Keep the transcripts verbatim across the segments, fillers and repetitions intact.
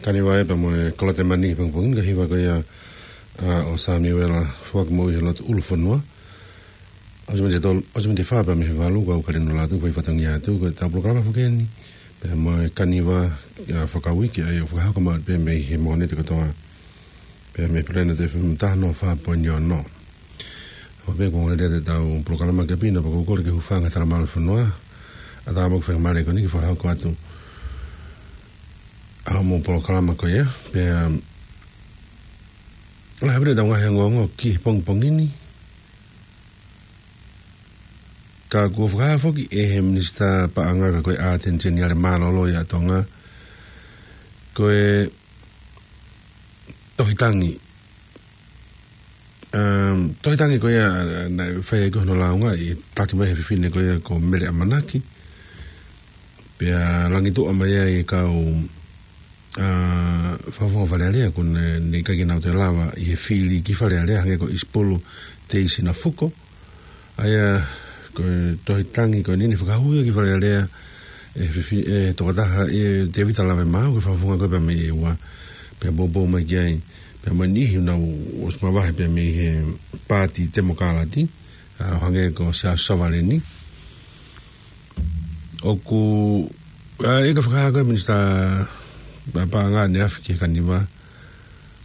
Kaniva ē pea mo e Kolotemani he pongipongi ni, ko e hiva ko ia, ʻa, ʻo Samiuela Foaki Moʻui he lotu ʻulu fonua. ʻOsi miniti e tolu, ʻosi miniti e fā pea mei he valu, kau Kalinu Latu, fai fatongia atu, ko ʻetau polokalama foki eni. Pea mo e Kaniva, ʻa, fakauike, ʻa ia ʻoku fakahoko maʻu pē mei he Mōnite kotoa. Pea mei he Planet F M taha noa fā poini ono. ʻO pea ko e lea ʻetau polokalama ke pina, pea ʻoku ou kole ke hūfanga he talamalu fonua. ʻAtā mo e faingamālie ko eni ke fakahoko atu ʻa hoʻomou polokalama ko ia. Pea, um, lahi pē ʻetau ngaahi ongoongo ki he pongipongi ni. Ka kuo fakahā foki ʻe he Minisitā Paʻanga ka ko e ʻAteni Seniale Mālōlō ia ʻa Tonga, ko e tohi tangi. Um, tohi tangi ko ia, ʻa, naʻe fai ai ko hono lāunga ʻi he taki mai he fefine ko ia ko Mele ʻAmanaki. Pea langituʻa mai ai e kau, ʻa, fakafofonga Fale Alea kuo ne, ne ʻikai ke nau toe lava ʻi he fili ki Fale Alea, hangē ko ʻIsipulu Teisina Fuko. ʻA ia, ko e tohi tangi ko eni naʻe fakahū ia ki Fale Alea ʻe he fifi-, ʻe he tokotaha ʻe Tevita Lavemaau, ko e fakafofonga ko ē pea mei ʻEua, pea poupou mai ki ai, pea mo e niʻihi naʻa nau ʻosi mavahe pea mei he Paati Temokalati, ʻa, ʻo hangē ko Siaosi Savaleni. ʻOku, ʻa, ʻi he fakahā ko ē ʻa e Minisitā Paʻanga ʻaneafi ki he Kaniva,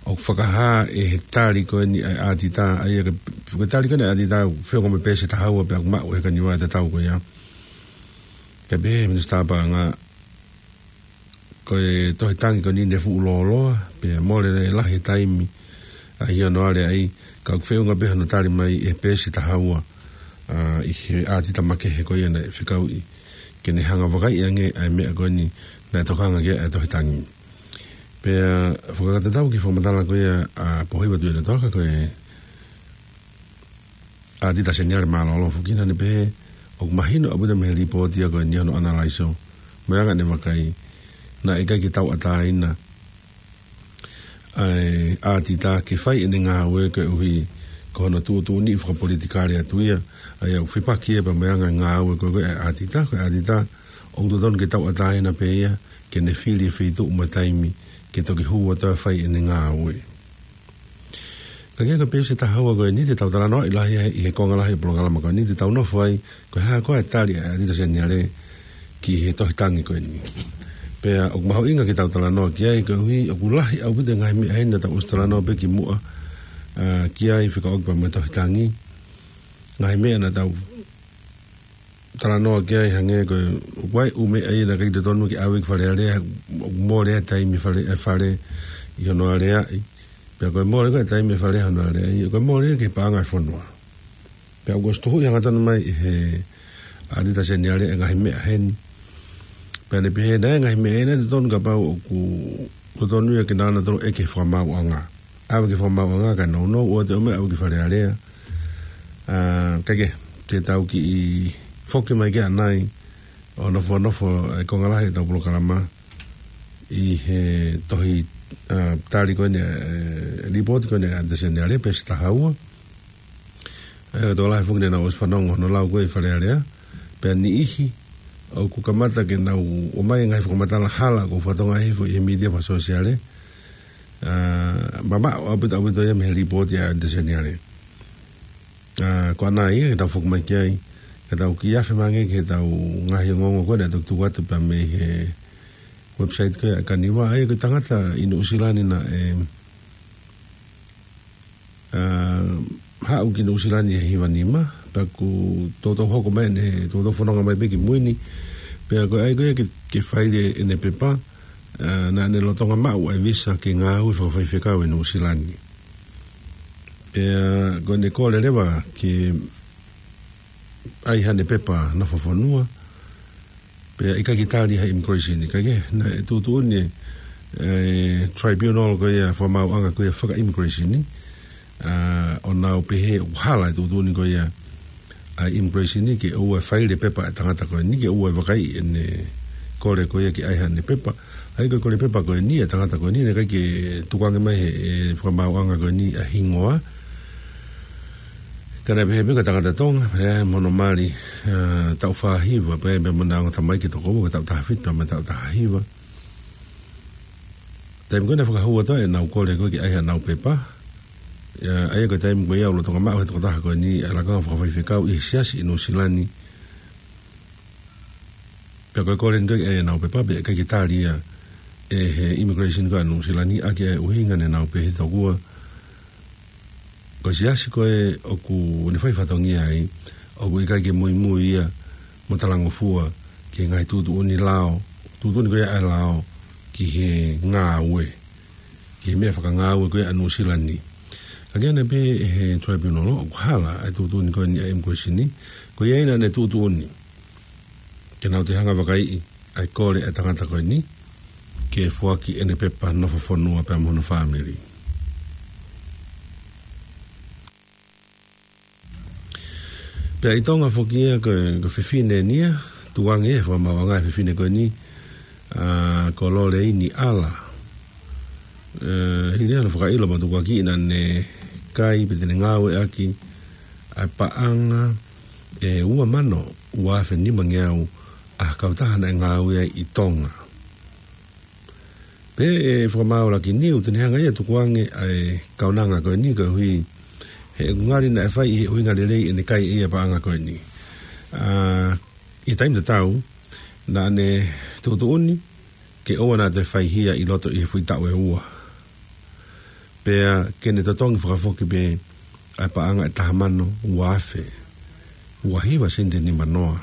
ʻoku fakahā ʻe he tali ko eni ʻa e ʻātita, ʻa ia ko e, ko e tali ko eni ʻa e ʻātita, feʻunga mo e peesi ʻe taha ua pea ʻoku maʻu ʻe he Kaniva ʻi he taʻu ko ia. Kae pehē ʻe he Minisitā Paʻanga, ko e tohi tangi ko eni ne fuʻu lōloa, pea mole, ne lahi e taimi, ʻa, ʻi hono aleaʻi, ka ʻoku feʻunga pē hono tali mai ʻe he peesi ʻe taha ua, ʻa, ʻi he ʻātita makehe ko ia naʻe fekauʻi ke ne hanga ʻo vakaiʻi ange ʻa e meʻa ko eni naʻe tokanga ki ai ʻa e tohi tangi. Pea fakakakato atu ki he fakamatala ko ia ʻa Pōhiva Tuʻiʻonetoaka, ko e ʻAtita Seniale Mālōlō foki, naʻa ne pehē ʻoku mahino ʻaupito mei he lipooti ia ko eni hono ʻanalaiso, mo e anga ʻene vakai, naʻe ʻikai ke tauʻatāina ʻa e ʻātita ke fai ʻene ngāue koeʻuhi ko hono tuʻutuʻuni fakapolitikale atu ia, ʻa ia ʻoku fepaki ia pea mo e anga e ngāue ko ē ʻa e ʻātita. Ko e ʻātita ʻoku totonu ke tauʻatāina pē ia, ke ne fili e feituʻu mo e taimi ke toki hū atu ʻo fai ʻene ngāue. Ka ko e peesi ʻe taha ua ko eni te tau talanoaʻi lahi ai ʻi he konga lahi ʻo e polokalama ko eni, te tau nofo ai, ko e hā koā e tali ʻa e ʻAtita Seniale ki he tohi tangi ko eni. Pea ʻoku mahuʻinga ke tau talanoa ki ai, koeʻuhi ʻoku lahi ʻaupito e ngaahi meʻa ʻi heni naʻa tau ʻosi talanoa pē kimuʻa, ʻa, ki ai fekauʻaki pea mo e tohi tangi. Ngaahi meʻa naʻa tau talanoa ki ai hangē ko e, ʻoku ʻi ai e ʻū meʻa ia naʻe ʻikai totonu ke ʻave ki Fale Alea, ʻoku mole e taimi ʻa e Fale, ʻa e Fale ʻi hono aleaʻi. Pea ko e mole ko ē e taimi ʻa e Fale ʻi hono aleaʻi, ko e mole ki he paʻanga ʻo e fonua. Pea ʻoku ʻosi tuhuʻi hangatonu mai ʻe he ʻAtita Seniale e ngaahi meʻa ʻi heni. Pea ne pehē naʻe ngaahi meʻa ʻi heni naʻe totonu kapau ʻoku totonu ia ke nau ō atu ʻo ʻeke ʻe he Fakamaauʻanga. ʻAve ki he Fakamaauʻanga kae nounou, ʻoua te ʻomai ʻave ki Fale Alea. ʻA, kae kehe, te tau kiʻi foki mai ki ai ʻanai, ʻo nofonofo e konga lahi ʻetau polokalama ʻi he tohi, ʻa, tali ko eni, ʻe, lipooti ko eni ʻa e ʻAtita Seniale, peesi ʻe taha ua. ʻE, tokolahi foki naʻa nau ʻosi fanongo hono lau ko ē ʻi Fale Alea, pea niʻihi ʻoku kamata ke nau ʻomai e ngaahi fakamatala hala ʻoku fatongia hifo ʻi he mītia fakasōsiale, ʻa, mamaʻo ʻaupito ʻaupito ia mei he lipooti ʻa e ʻAtita Seniale. ʻA, ko ʻanai ia ke tau foki mai ki ai, ke tau kiʻi afe mai ange ki heʻetau ngaahi ongoongo ko ē naʻe toki tuku atu pea mei he website ko ē ʻa e Kaniva, ʻa ia ko e tangata ʻi Nuʻusila ni naʻe, ʻa, haʻu ki Nuʻusila ni he hiva nima, pea kuo toutou hoko mai ʻene, toutou fononga mai pē ki mui ni, pea ko e ʻai ko ia ke, ke faile ʻene pepa, ʻa, naʻa ne lolotonga maʻu ʻa e visa ke ngāue fakafaifekau ʻi Nuʻusila ni. Pea ko ʻene kole leva ke ʻai haʻane pepa nofo fonua, pea ʻikai ke tali ʻe he immigration ni, kae kehe, naʻe tuʻutuʻuni ʻe he tribunal ko ia, Fakamaauʻanga ko ia faka-immigration ni, ʻa, ʻo nau pehē ʻoku hala e tuʻutuʻuni ko ia ʻa e immigration ni ke ʻoua ʻe faile e pepa ʻa e tangata ko eni, ke ʻoua ʻe vakaiʻi ʻene kole ko ia ke ʻai haʻane pepa. ʻA ia ko e kole pepa ko eni ʻa e tangata ko eni, naʻe ʻikai ke tukuange mai ʻe he, ʻe he Fakamaauʻanga ko eni ʻa e hingoa. Ka naʻe pehē pē ko e tangata Tonga, pea mo hono mali, ʻa, taʻu fā hiva, pea, pea mo ʻene ongo tamai ki he toko ua, ko e taʻu taha fitu mo e taʻu taha hiva. Taimi ko ē naʻe fakahū atu ai ʻenau kole ko ē ke ʻai haʻanau pepa. ʻA ia ko e taimi ko ia ʻoku lolotonga maʻu ʻe he tokotaha ko eni ʻa e lakanga fakafaifekau ʻi he siasi ʻi Nuʻusila ni. Pea ko e kole eni ko ē ke ʻai haʻanau pepa pea ʻikai ke tali ia ʻe he immigration ko ē ʻa Nuʻusila ni ʻaki ʻa e ʻuhinga naʻa nau pehē tokua ko e siasi ko ē ʻoku ne fai fatongia ai, ʻoku ʻikai ke muimui ia mo talangofua ki he ngaahi tuʻutuʻuni lao, tuʻutuʻuni ko ia ʻa e lao ki he ngāue, ki he meʻa fakangāue ko ia ʻa Nuʻusila ni. Ka ʻoku ʻi ai pē ʻe he tribunal ʻoku hala ʻa e tuʻutuʻuni ko eni ʻa e immigration ni, ko ia ai naʻa ne tuʻutuʻuni ke nau toe hanga ʻo vakaiʻi ʻa e kole ʻa e tangata ko eni ke foaki ʻene pepa nofo fonua pea mo hono fāmili. Pea ʻi Tonga foki ia ko e, ko e fefine eni ia, tukuange ia he fakamaauʻanga ʻa e fefine ko eni, ʻa, ko Loleini ʻAla. ʻE, hili hano fakaʻilo mo tukuakiʻi naʻa ne kai pe te ne ngāueʻaki ʻa e paʻanga ʻe ua mano ua afe nimangeau ʻa e kautaha naʻe ngāue ai ʻi Tonga. Pea ʻe fakamaau Lakiniu te ne hanga ia ʻo tukuange ʻa e kaunanga ko eni koeʻuhi he ʻoku ngali naʻe fai ʻi he ʻuhinga lelei ʻene kai ʻe ia paʻanga ko eni. ʻA, ʻi he taimi tatau, naʻa ne tuʻutuʻuni ke ʻoua naʻa toe faihia ʻi loto ʻi he foʻi taʻu ʻe ua. Pea ke ne totongi fakafoki pē ʻa e paʻanga ʻe taha mano ua afe ua hiva sēniti nimanoa.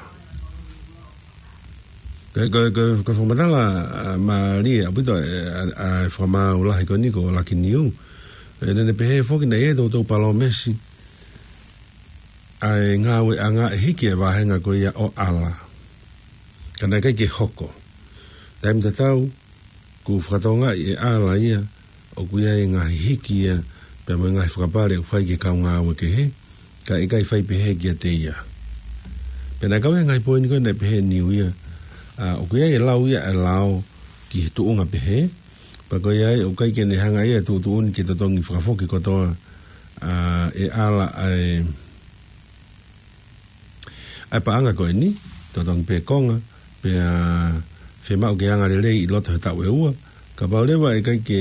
Ko e, ko e, ko e, ko e fakamatala, ʻa, mālie ʻaupito, ʻe, ʻa, ʻa e fakamaau lahi ko eni ko Lakiniu. ʻE, naʻa ne pehē foki naʻe ʻi ai e toutou palōmesi ʻa e ngāueʻanga ʻe hiki e vāhenga ko ia ʻo ʻAla. Ka naʻe ʻikai ke hoko. Taimi tatau, kuo fakatokangaʻi ʻe ʻAla ia ʻoku ʻi ai e ngaahi hiki ia pea mo e ngaahi fakapale ʻoku fai ki he kau ngāue kehe, ka ʻikai fai pehē kiate ia. Pea naʻe kau ia he ngaahi poini ko ē naʻe pehē ʻe Niu ia, ʻa, ʻoku ʻi ai e lau ia ʻa e lao ki he tuʻunga pehē, pea ko ia ai ʻoku ʻikai ke ne hanga ia ʻo tuʻutuʻuni ke totongi fakafoki kotoa, ʻa, ʻe ʻAla ʻa e ʻa e paʻanga ko eni, totongi pē konga, pea fiemaʻu ke anga lelei ʻi loto he taʻu ʻe ua, kapau leva ʻe ʻikai ke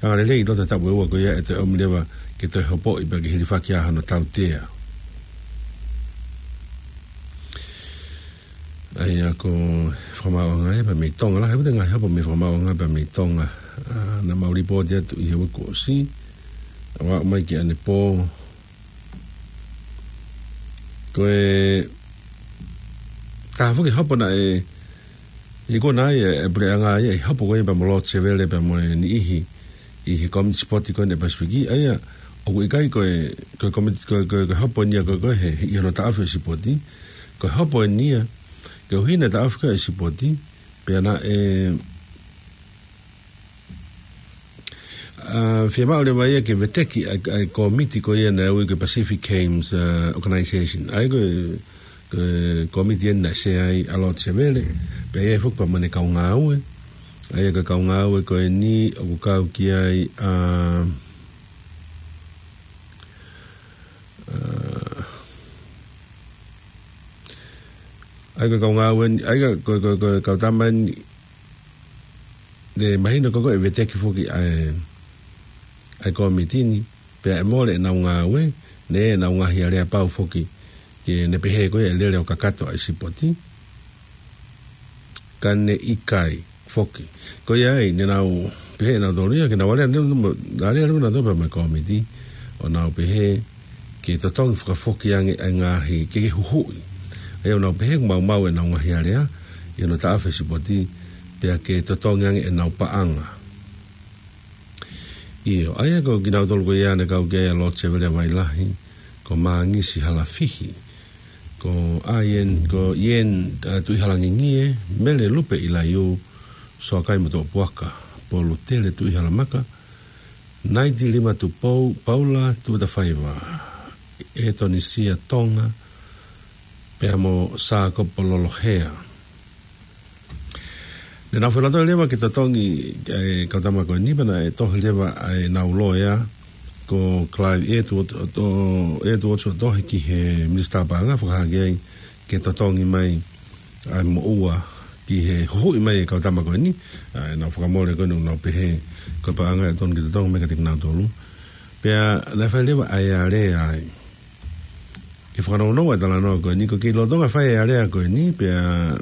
anga lelei ʻi loto he taʻu ʻe ua ko ia ʻe toe ʻomi leva ke toe hopoʻi pea ke hilifaki ʻa hono tautea. ʻA ia ko e fakamaauʻanga ia pea mei Tonga lahi, ʻoku ʻi ai e ngaahi hopo mei he fakamaauʻanga pea mei Tonga. ʻA, naʻa mau lipooti atu ʻi he uike kuo ʻosi, ʻo aʻu mai ki ʻanepō. Ko e taha foki e hopo naʻe, ʻi ko ena ai e, e puleʻanga ia ʻi he hopo ko ia pea mo Lord Sevele pea mo e niʻihi ʻi he komiti sipoti ko eni ʻa e Pasifiki, ʻa ia, ʻoku ʻikai ko e, ko e komiti, ko e, ko e, ko e hopo eni ia ko e, ko e he, ʻi hono taʻofi e sipoti, ko e hopo eni ia, koeʻuhi naʻe taʻofi ko ē e sipoti, pea naʻe, ʻa, fiemaʻu leva ia ke veteki ʻa e, ʻa e komiti ko ia naʻe ui ko e Pacific Games, ʻa, Organization. ʻA ia ko e, ko e komiti eni naʻe sea ai ʻa Lord Sevele, pea ʻi ai foki pea mo ʻene kau ngāue. ʻA ia ko e kau ngāue ko eni ʻoku kau ki ai, ʻa, ʻa, ʻa ia ko e kau ngāue eni, ʻa ia ko, ko, ko, ko e kau tama eni, ne mahino ko ē ʻe veteki foki ʻa e, ʻa e komiti ni, pea ʻe mole ʻenau ngāue, ne ʻenau ngaahi aleapau foki, ke ne pehē ko ē ʻe lele ʻo kakato ʻa e sipoti. Ka ne ʻikai foki. Ko ia ai, ne nau pehē ʻe nautolu ia, ke nau alea, ne, ne, alea, ne nau topa mai komiti, ʻo nau pehē, ke totongi fakafoki ange ʻa e ngaahi, ke, ke huhuʻi. ʻA ia ʻo nau pehē ʻoku maumau ʻenau ngaahi alea, ʻi hono taʻofi e sipoti, pea ke totongi ange ʻenau paʻanga. ʻIo, ʻa ia ko kinautolu ko ia naʻe kau ki ai ʻa Lord Sevele Vailahi, ko Mangisi Halafihi, ko Ian, ko Ian, ʻa, Tuʻihalangingie, Mele Lupe ʻIlaiū, Soakai Motuʻapuaka, Polutele Tuʻihalamaka, Naiti Lima Tupou, Paula Tuʻatafaiva, ʻEtonisia Tonga, pea mo Sākopo Lolohea. Ne nau felātoi leva ke totongi ʻa e kau tama ko eni pea naʻe tohi leva ʻa ʻenau loea ko Clive Edward ʻo to-, Edwards ʻo tohi ki he Minisitā Paʻanga fakahā ki ai ke totongi mai ʻa e moʻua ki he huhuʻi mai e kau tama ko eni, ʻa, ʻenau fakamole ko eni, ʻoku nau pehē ko e paʻanga ʻe tonu ke totongi mai kiate kinautolu. Pea naʻe fai leva ʻa e alea ai. Ke fakanounou ʻa e talanoa ko eni, ko e kei lolotonga fai e alea ko eni, pea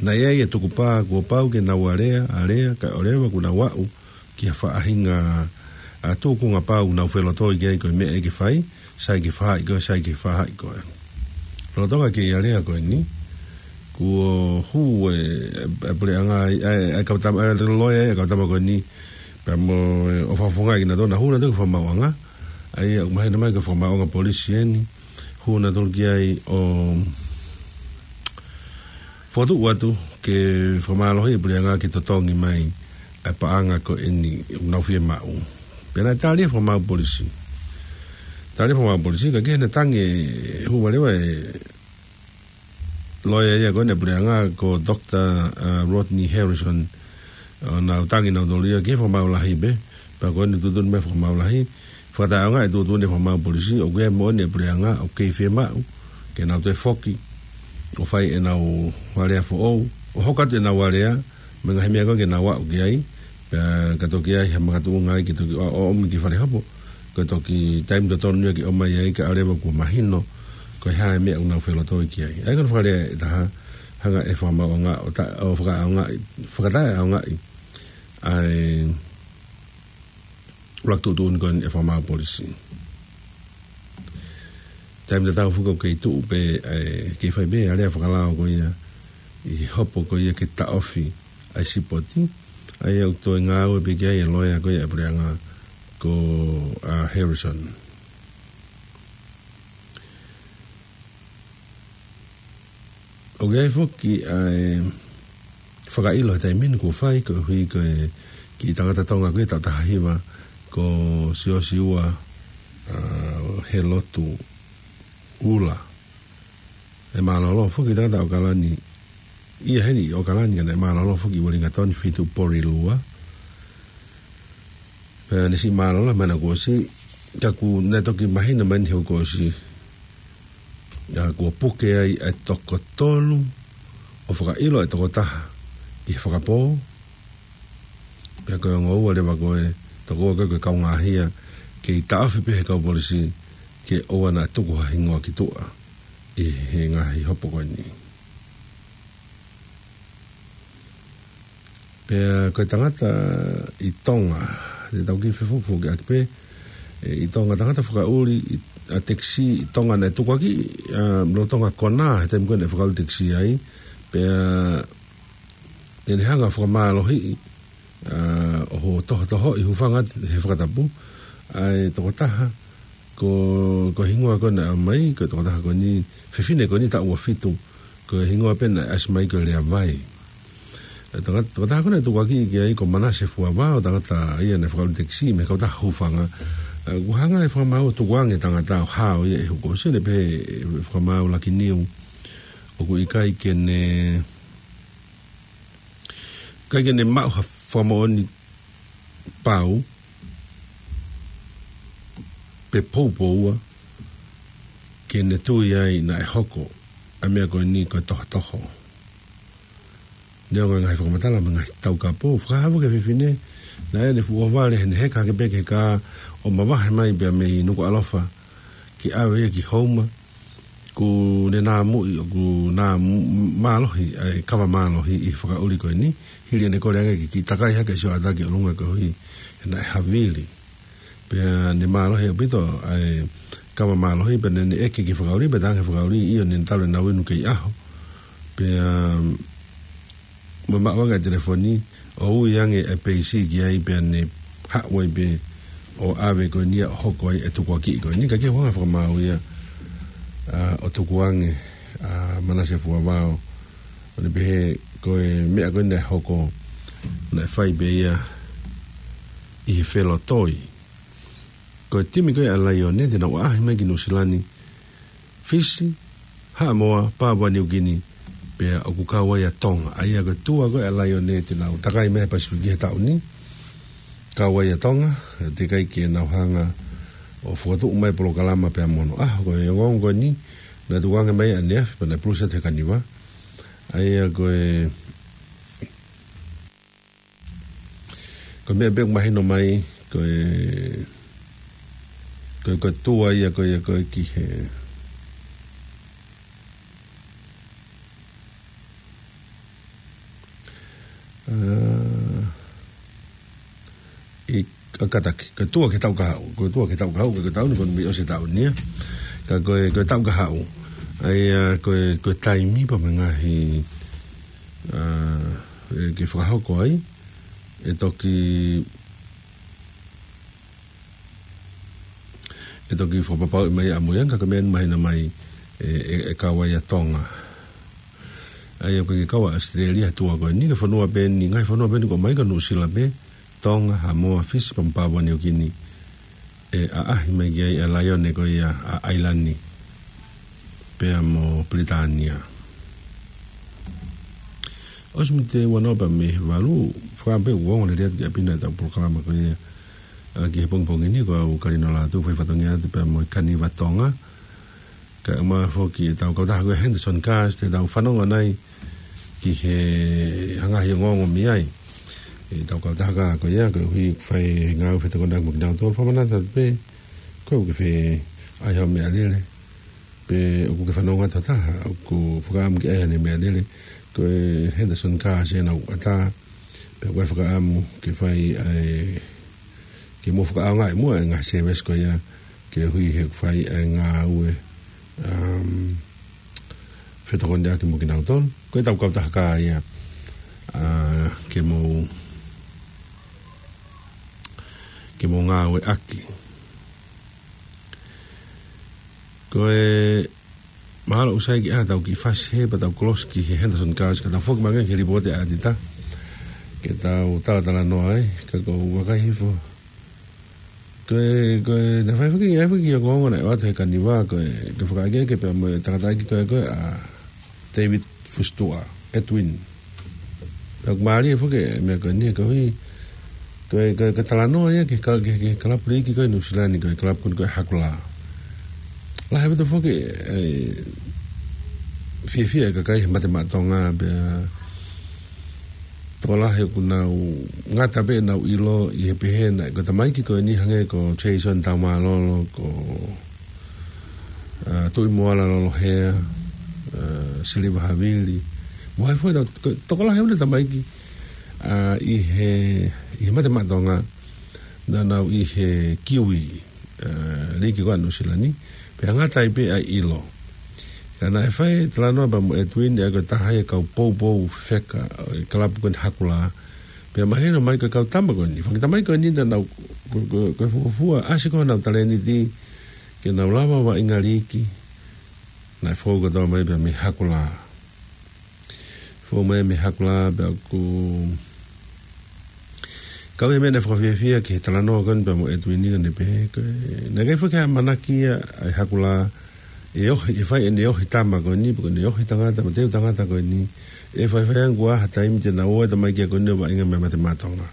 naʻe ʻi ai e tukupā kuo pau ke nau alea, alea, kae ʻoua leva kuo nau aʻu ki ha faʻahinga ʻa e tūkunga pau nau felotoi ki ai ko e meʻa ʻe ke fai, sai ke faʻahi ko ē, sai ke faʻahi ko ē. Lolotonga e kei alea ko eni, kuo hū e, e, e puleʻanga ai, e, e kau tama, e loea e kau tama ko eni, pea mo e, ʻo fakafofongaʻi kinautolu, naʻa hū nautolu ki he fakamaauʻanga, ʻa ia ʻoku mahino mai ko e fakamaauʻanga polisi eni, hū nautolu ki ai ʻo fokotuʻu atu ke fakamālohiʻi e puleʻanga ke totongi mai ʻa e paʻanga ko eni ʻoku nau fiemaʻu. Pea naʻe tali ʻe he fakamaau polisi. Tali ʻe he fakamaau polisi, ka ke ne tangi e hū valeva e loea ia ko eni e puleʻanga ko Doctor, uh, Rodney Harrison, ʻo nau tangi nautolu ia ki he fakamaau lahi pē, pea ko eni tuʻutuʻuni mai e fakamaau lahi, fakataʻeʻaongaʻi e tuʻutuʻuni e fakamaau polisi, ʻoku ʻi ai e moʻoni e puleʻanga, ʻoku kei fiemaʻu ke nau toe foki ʻo fai ʻenau alea foʻou, ʻo hoko atu ʻenau alea, mo e ngaahi meʻa ko ē ke nau aʻu ki ai, pea ka toki ʻi ai ha makatuʻunga ai ke toki ʻo, ʻo ʻomi ki fale hopo, ko e toki taimi totonu ia ke ʻomai ai kae ʻoua leva kuo mahino ko e hā e meʻa ʻoku nau felotoi ki ai. ʻA ia ko hono fakalea ʻe taha, hanga ʻe he fakamaauʻanga ʻo ta-, ʻo fakaʻaongaʻi, fakataʻeʻaongaʻi ʻa e ʻuluaki tuʻutuʻuni ko eni ʻa e fakamaau polisi. Taimi tatau foki ʻoku kei tuʻu pē, ʻa e, kei fai pē ʻa e alea fakalao ko ia ʻi he hopo ko ia ke taʻofi ʻa e sipoti, ʻa ia ʻoku toe ngāue pē ki ai e loea ko ia ʻa e puleʻanga ko, ʻa, Harrison. ʻOku ʻi ai foki ʻa e fakaʻilo he taimi ni kuo fai, koeʻuhi ko e kiʻi tangata Tonga ko ē taʻu taha hiva ko Siosiua, ʻa, Helotu Ula. ʻE mālōlō foki e tangata ʻAokalani, ʻi heni ʻi ʻAokalani, ka naʻe mālōlō foki ʻi Uelingatoni, Feituʻu Porirua. Pea ne siʻi mālōlō mai ʻana kuo ʻosi, ka kuo ne toki mahino mai ʻeni he kuo ʻosi, ʻa, kuo puke ai ʻa e toko tolu ʻo fakaʻilo e toko taha ki he fakapō. Pea ko e ongo ua leva ko e toko ua ko e kaungāhia, kei taʻofi pē ʻe he kau polisi ke ʻoua naʻa tuku ha hingoa ki tuʻa ʻi he ngaahi hopo ko eni. Pea ko e tangata ʻi Tonga, te tau kiʻi fefukufuku ʻaki pē, ʻe, ʻi Tonga tangata fakaʻuli, ʻi, ʻa, tekisī ʻi Tonga naʻe tukuakiʻi, ʻa, lolotonga konā he taimi ko ē naʻe fakaʻuli tekisī ai, pea naʻa ne hanga ʻo fakamālohiʻi, ʻa, ʻo ho-, toho-, tohotohoʻi, hūfanga atu he fakatapu ʻa e toko taha, ko, ko e hingoa ko ē naʻe ʻomai, ko e toko taha ko eni, fefine ko eni taʻu ua fitu, ko e hingoa pē naʻe ʻasi mai ko Leavai. ʻA e toko, toko taha ko ē naʻe tukuakiʻi ki ai ko Manase Fuavao, tangata ia naʻe fakaʻuli tekisī mei he kautaha hūfanga. ʻA, kuo hanga ʻe he fakamaau ʻo tukuange e tangata ʻo hao ia ʻi he kuo ʻosi, ne pehē ʻe he fakamaau Lakiniu ʻoku ʻikai ke ne, ʻikai ke ne maʻu ha fakamoʻoni pau pe poupou ke ne tui ai naʻe hoko ʻa e meʻa ko eni ko e tohotoho. Neongo e ngaahi fakamatala mo e ngaahi taukapo, fakahā foki e fefine naʻa ne fuʻu ʻohovale heʻene heka hake pē ki he kā ʻo mavahe mai pea mei Nukuʻalofa ke ʻave ia ki Houma, kuo ne nāmuʻi, ʻoku nā m-, mālohi, ʻa e kava mālohi ʻi he fakaʻuli ko eni, hili ʻene kole ange ke kiʻi takai hake e sioʻata ki ʻolunga koeʻuhi he naʻe havili. Pea ne mālohi ʻaupito ʻa e kava mālohi, pea ne, ne ʻeke ki he fakaʻuli, pea talaange ʻe he fakaʻuli, ʻio, ne talu ʻenau inu kei ʻaho. Pea mo maʻu ange e telefoni, ʻo ui ange e peisi ki ai, pea ne haʻu ai pē ʻo ʻave ko eni ia ʻo hoko ai e tukuakiʻi ko eni, ka ko e ʻuhinga e fakamaau ia, ʻa, ʻo tukuange ʻa Manase Fuavao, ʻo ne pehē ko e meʻa ko ē naʻe hoko, naʻe fai pē ia ʻi he felotoi. Ko e timi ko ē ʻa Laione, te nau ʻaʻahi mai ki Nuʻusila ni, Fisi, Haʻamoa, Papua Niukini, pea ʻoku kau ai ʻa Tonga. ʻA ia ko e tua ko ē ʻa Laione te nau takai mai he Pasifiki he taʻu ni, kau ai ʻa Tonga, teʻeki ai ke nau hanga ʻo fokotuʻu mai e polokalama pea mo hono ʻaho. Ko e ongoongo ko eni, naʻe tukuange mai ʻaneafi, pea naʻe pulusi atu he kaniva. ʻA ia ko e, ko e meʻa pē ʻoku mahino mai, ko e, ko e, ko e tua ia ko ia ko e ki he, ā, ʻi, ʻa, kātaki, ko e tua ki he taʻu kahaʻu, ko e tua ki he taʻu kahaʻu, ko e taʻu ni, ko e mei ʻosi e taʻu ni ia. Ka ko e, ko e taʻu kahaʻu. ʻA ia, ko e, ko e taimi pea mo e ngaahi, ā, ʻe, ke fakahoko ai, ʻe toki, ʻe toki fakapapauʻi mai ʻamuiangi, ka ko e meʻa ni mahino mai, ʻe, ʻe, ʻe kau ai ʻa Tonga. ʻA ia ko e kau ʻa ʻAositelēlia he tua ko eni, ko e fonua pē eni, ngaahi fonua pē eni ko e mai ko Nuʻusila pē, Tonga, Haʻamoa, Fisi, pea mo Papua Niukini. ʻE ʻaʻahi mai ki ai ʻa e laione ko ia ʻa ʻAilani pea mo Pilitānia. ʻOsi miniti ʻe uanoa pea mei he valu, fakaʻamu pē ʻoku ongo lelei atu ki ʻapi na ʻetau polokalama ko ia, ā, ki he pongipongi ni, ko au Kalino Lātū, fai fatongia atu pea mo e Kaniva Tonga. Kae ʻumaʻā foki ʻetau kautaha ko ia Henderson Cars, te tau fanongo ʻanai ki he ngaahi ongoongo mei ai. ʻEtau kautaha ko ia, koeʻuhi ʻoku fai e ngāue fetokoniʻaki mo kinautolu, fakamanatu atu pē, ko e ʻoku ke fie ʻai haʻo meʻalele, pe ʻoku ke fanongo atu ha taha ʻoku fakaʻamu ke ʻai haʻane meʻalele, ko e Henderson Cars ʻenau ʻatā, pe ʻoku ke fakaʻamu ke fai ʻa e, ke mou fakaʻaongaʻi muʻa e ngaahi service ko ia, koeʻuhi he ʻoku fai e ngāue, um, fetokoniʻaki mo kinautolu. Ko ʻetau kautaha ia, ā, ke mou, ke mou ngāueʻaki. Ko e mahalo ʻoku sai ke ʻai haʻatau kiʻi fasi hē pea tau kolosi ki he Henderson Cars, ka tau foki mai ange ki he lipooti ʻa ʻAtita, ke tau talatalanoa ai, ka ʻoku ou vakai hifo. Ko e, ko e, naʻe fai foki, ʻai foki ki he ongoongo naʻe ʻoatu he Kaniva, ko e, ko e fakaʻekeʻeke pea mo e tangataʻeiki ko ē, ko e, ʻa David Fusitua, Edwin. Pea ʻoku mālie foki e meʻa ko eni, koeʻuhi, ko e, ko e, ko e talanoa ia ki he ka-, ki he, ki he kalapu liiki ko ē Nuʻusila ni, ko e kalapu ko ē ko e Hakulā. Lahi ʻaupito foki e fiefia e kakai he Mate Maʻa Tonga, pea tokolahi ʻoku nau ngata pē ʻenau ʻilo ʻi he pehē naʻe, ko e tamaiki ko eni hangē ko Jason Taumālolo, ko, ā, Tuʻimoala Lolohea, ā, Siliva Havili. Mo hai foki, ko e tokolahi ʻo e tamaiki, ā, ʻi he, ʻi he Mate Maʻa Tonga, naʻa nau ʻi he Kiwi, ā, liiki ko ē ʻa Nuʻusila ni, pea ngata ai pē ʻa e ʻilo. Ka naʻe fai e talanoa pea mo Edwin, ʻa ia ko e taha ia e kau poupou fefeka ʻo e kalapu ko eni Hakulā. Pea mahino mai ko e kau tama ko eni, fanga tamaiki ko eni naʻa nau, ko, ko, ko e fuofua, ʻasi ko ē honau talēniti, ke nau lava ʻo vaʻinga liiki, naʻe fou kotoa mai pea mei Hakulā. Fou mai mei Hakulā pea ʻoku kau ia e meʻa naʻe fakafiefia ki he talanoa ko eni pea mo Edwin, naʻá ne pehē ko e, naʻe ʻikai foki ke ʻamanaki ia ʻa e Hakulā ʻe ohi, ʻe fai ʻene ohi tama ko eni, pe ko ʻene ohi tangata, mo e teu tangata ko eni, ʻe faifai ange kuo ʻi ai ha taimi te nau ō e tamaiki ko eni ʻo vaʻinga mei Mate Maʻa Tonga.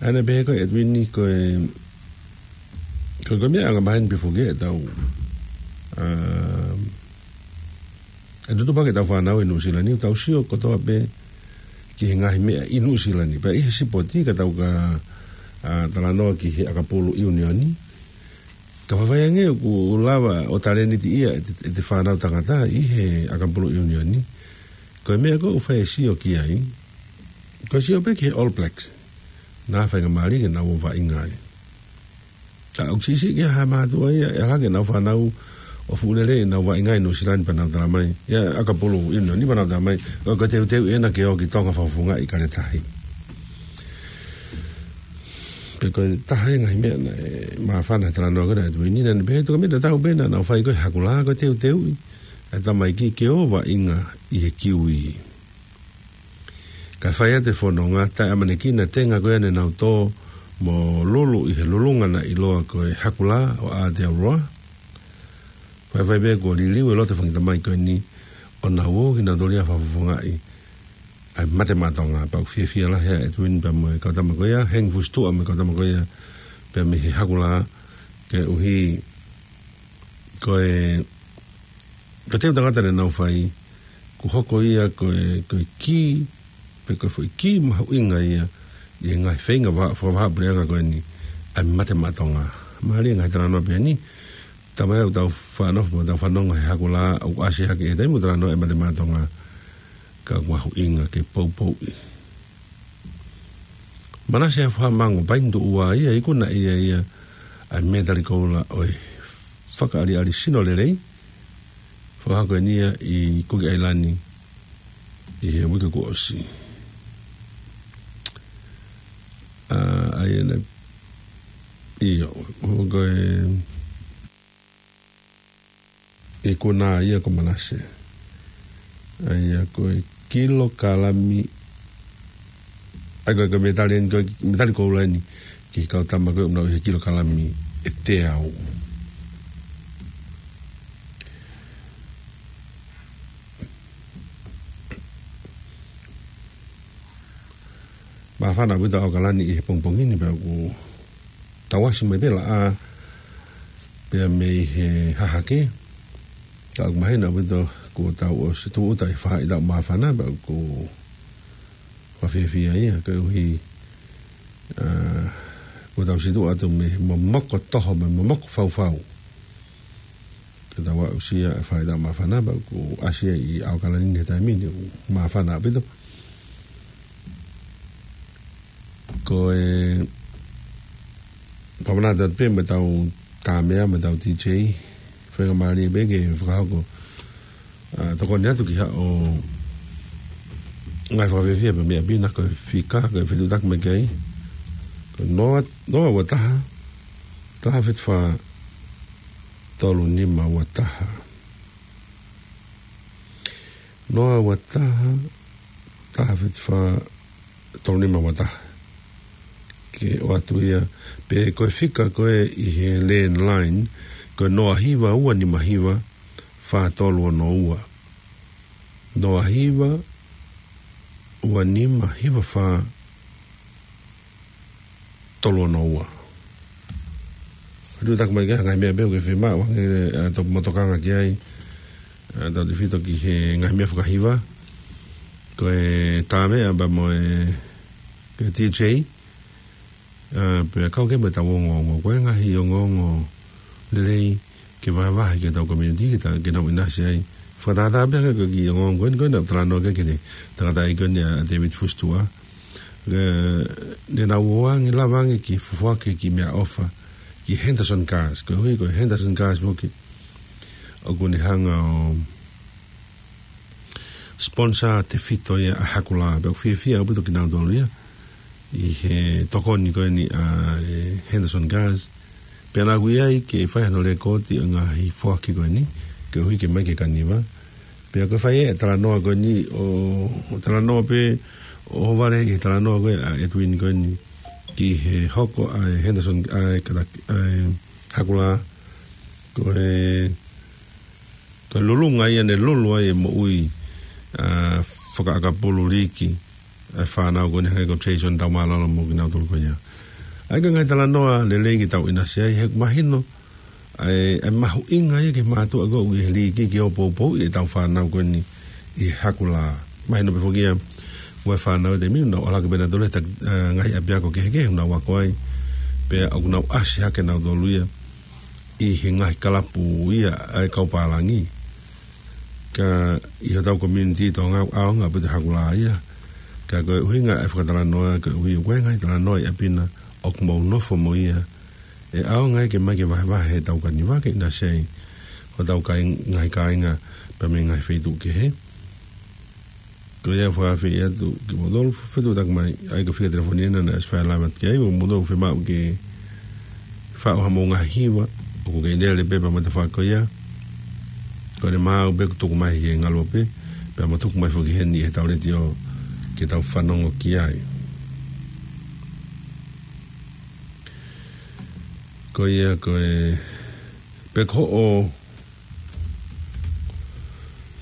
ʻA ia naʻe pehē ko ē ʻe Edwin ko e, ko e, ko e meʻa angamaheni pē foki ʻetau, ā, ʻe tutupu ange ʻetau fānau ʻi Nuʻusila ni, tau sio kotoa pē ki he ngaahi meʻa ʻi Nuʻusila ni. Pea ʻi he sipoti ka tau ka, ā, talanoa ki he ʻakapulu ʻiunioni. Ka faifai ange ʻoku lava ʻo talēniti ia ʻete, ʻete fānau tangata ʻi he ʻakapulu ʻiunioni. Ko e meʻa ko ē ʻoku fai e sio ki ai, ko e sio pē ki he All Blacks. Naʻa faingamālie ke nau ō ʻo vaʻinga ai. Ka ʻoku siʻisiʻi ke ʻi ai ha mātuʻa ia, ʻe ʻalu ange ʻenau fānau ʻo fuʻu lelei ʻenau vaʻinga ʻi Nuʻusila ni pea nau tala mai. ʻI he ʻakapulu ʻiunioni pea nau tala mai, ko e, ko e teuteu ʻena ke ō ki Tonga fakafofongaʻi Kaletahi. Pea ko e taha ia e ngaahi meʻa naʻe māfana he talanoa ko ē ʻa Edwin, naʻá ne pehē ko e meʻa tatau pē naʻa nau fai ko ē he Hakulā, ko e teuteuʻi ʻa e tamaiki ke ō ʻo vaʻinga ʻi he Kiwi. Kae fai atu e fononga, taʻeʻamanekina e tenga ko ia ne nau tō mo lulu ʻi he lulunga naʻe ʻiloa ko e Hakulā ʻo Aotearoa. Faifai pē kuo liliu e loto e fanga tamaiki ko eni ʻo nau ō kinautolu ia ʻo fakafofongaʻi ʻa e Mate Maʻa Tonga. Pea ʻoku fiefia lahi ʻa Edwin pea mo e kau tama ko ia, Hengi Fusitua mo e kau tama ko ia, pea mei he Hakulā, koeʻuhi ko e, ko e teu tangata ne nau fai, ʻoku hoko ia ko e, ko e kī, pe ko e foʻi kī mahuʻinga ia ʻi he ngaahi feinga vahaʻa, fakavahaʻapuleʻanga ko eni ʻa e Mate Maʻa Tonga. Mālie e ngaahi talanoa pehē ni, taimi ʻoku tau fanongo, tau fanongo he Hakulā, ʻoku ʻasi hake he taimi ʻoku talanoa e Mate Maʻa Tonga, ka ʻoku mahuʻinga ke poupouʻi. Manase Hafohamango Painituʻua ia, ikuna ʻe ia ʻa e mētali koula ʻo e Fakaʻaliʻali Sino Lelei, fakahoko eni ia ʻi Kuki ʻAilani ʻi he uike kuo ʻosi. ʻA, ʻa ia naʻe, ʻio, ʻoku ikuna ia ko Manase. ʻA ia ko e kilokalami, ʻa ia ko e, ko e mētali eni, ko e mētali koula eni ki he kau tama ko ē ʻoku nau ʻi he kilokalami ʻe teau. Māfana ʻaupito ʻAokalani ʻi he pongipongi ni pea ʻoku tau ʻasi mai pē laʻā pea mei he hahake. Ka ʻoku mahino ʻaupito kuo tau ʻosi tūʻuta ʻi he faʻahitaʻu māfana pea ʻoku fakafiefia ia koeʻuhi, ʻa, kuo tau situʻa atu mei he momoko toho, mei he momoko faufau. Ke tau aʻusia e faʻahitaʻu māfana pea ʻoku ʻasi ia ʻi ʻAokalani he taimi ni, ʻoku māfana ʻaupito. Ko e, pea manatu atu pē mo ʻetau Tāmea mo ʻetau D J, faingamālie pē ke fakahoko, ʻa, tokoni atu ki haʻo ngaahi fakafiefia pē mei ʻapi na, ko e fika, ko e fetuʻutaki mai ki ai. Ko e noa, noa ua taha, taha fitu fā, tolu nima ua taha. Noa ua taha, taha fitu fā, tolu nima ua taha. Ke ʻoatu ia, pe ko e fika ko ē ʻi he landline, ko e noa hiva ua nima hiva, fā tolu ono ua. Noa hiva, ua nima hiva fā, tolu ono ua. Fetuʻutaki mai ki ai ha ngaahi meʻa pē ʻoku ke fiemaʻu, ʻa, ke tau motokanga ki ai, ʻa, tautefito ki he ngaahi meʻa fakahiva. Ko e Tāmea pea mo e, ko e D J, ʻa, pea kau ki ai mo ʻetau ongoongo. Ko e ngaahi ongoongo lelei ke vahevahe ki hotau community, ke ta-, ke nau ʻinasi ai. Fakatātā pē hangē ko e kiʻi ongoongo ko eni, ko eni naʻa ku talanoa ki ai ki he tangataʻeiki ko eni ʻa David Fusitua. Ke ne nau ō ange, lava ange ke foaki e kiʻi meʻaʻofa ki Henderson Gas. Koeʻuhi ko Henderson Gas foki ʻoku ne hanga ʻo sponsor tefito ia ʻa e Hakulā. Pea ʻoku fiefia ʻaupito kinautolu ia ʻi he tokoni ko eni ʻa e Henderson Gas. Pea naʻa ku ʻi ai ke fai hano lēkooti ʻo e ngaahi foaki ko eni, koeʻuhi ke ʻomai ki he Kaniva. Pea ko e fai e talanoa ko eni ʻo, ʻo talanoa pē, ʻo vale ʻi he talanoa ko ē ʻa Edwin ko eni ki he hoko ʻa e Henderson, ʻa e kata-, ʻa e Hakulā. Ko e, ko e lulunga ia ne lulu ai e moʻui, ʻa, fakaʻakapulu liiki ʻa e fānau ko eni hangē ko Jason Taumālolo mo kinautolu ko ia. ʻA ia ko e ngaahi talanoa lelei ke tau ʻinasi ai, he ʻoku mahino ʻa e, ʻa e mahuʻinga ia ki he mātuʻa ko ē ʻoku ʻi he liiki ke ō ʻo poupouʻi ʻetau fānau ko eni ʻi he Hakulā. Mahino pē foki ia, ʻoku ʻi ai e fānau ʻi he taimi ni naʻa nau ʻalu hake pē nautolu he ta-, ʻa, ngaahi ʻapiako kehekehe ʻoku nau ako ai, pea ʻoku nau ʻasi hake nautolu ia ʻi he ngaahi kalapu ia ʻa e kau pālangi. Ka ʻi hotau community Tonga ʻoku ʻaonga ʻaupito e Hakulā ia. Ka ko e ʻuhinga e fakatalanoa, koeʻuhi ʻoku ʻi ai e ngaahi talanoa ʻi ʻapi na ʻoku mou nofo mo ia, ʻe ʻaonga ia ke ʻomai ke vahevahe heʻetau Kaniva ke ʻinasi ai hotau kāing-, ngaahi kāinga pea mei he ngaahi feituʻu kehe. Ko ia ʻoku ou fakaafeʻi atu kimoutolu, fetuʻutaki mai, ʻa ia ko e fika telefoni ena naʻe ʻosi fai e live atu ki ai, ʻo moutolu ʻoku fiemaʻu ke faʻu hamou ngaahi hiva, ʻoku kei lele pē pea mo e tafaʻaki ko ia. Ko ʻene maau pē ʻoku tuku mai ke ngaluope, pea mo tuku mai foki heni ʻi heʻetau letiō ke tau fanongo ki ai. Ko ia ko e, pe ko hoʻo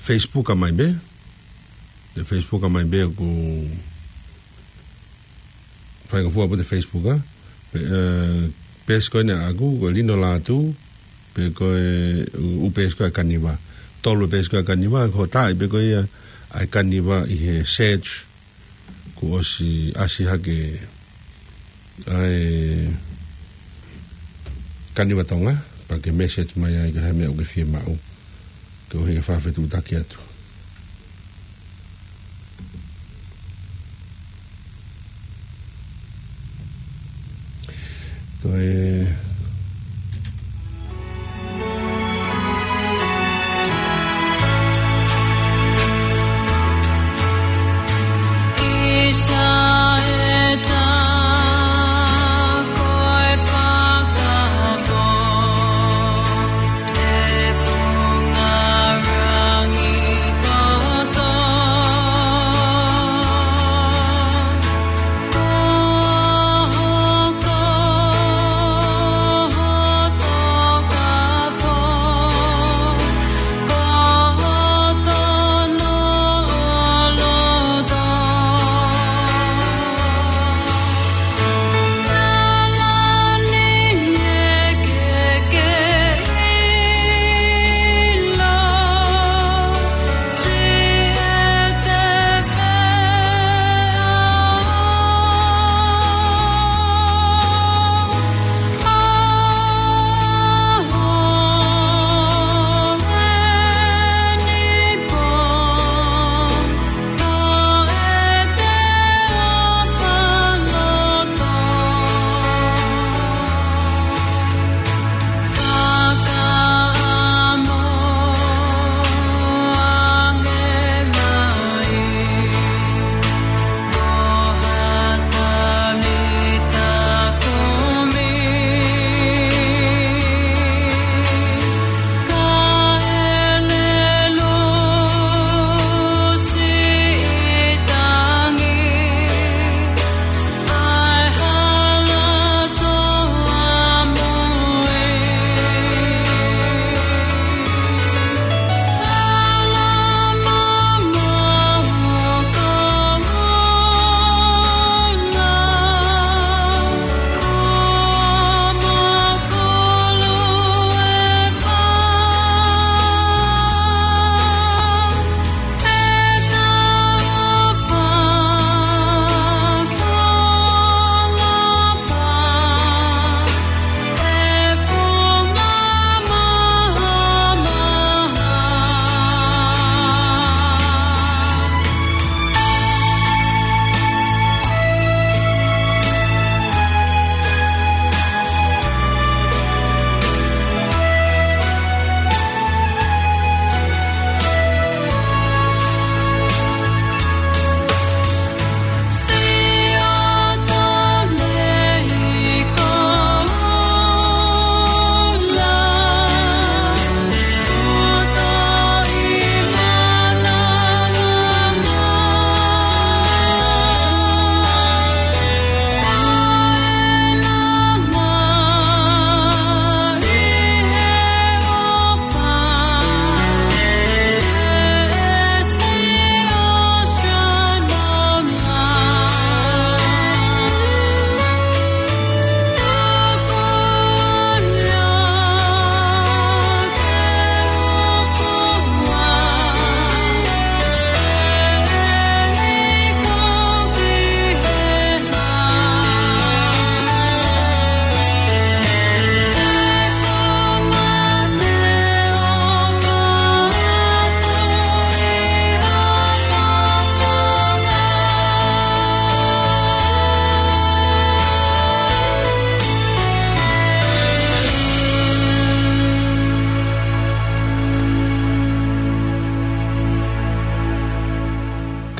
Facebook ʻa mai pē, ʻe Facebook ʻa mai pē ʻoku faingofua pē ʻete Facebook ʻa, pe, ʻe, peesi ko eni ʻaʻaku, ko Lino Lātū, pe ko e ʻū, ʻū peesi ko ē ʻa e Kaniva. tolu e peesi ko ē ʻa e kaniva, ko e taaʻi pē ko ia ʻa e kaniva ʻi he search, kuo ʻosi ʻasi hake ʻa e kaniva Tonga, pea ke message mai ai ko e hā e meʻa ʻoku ke fiemaʻu, koeʻuhi ke fakafetuʻutaki atu. Ko e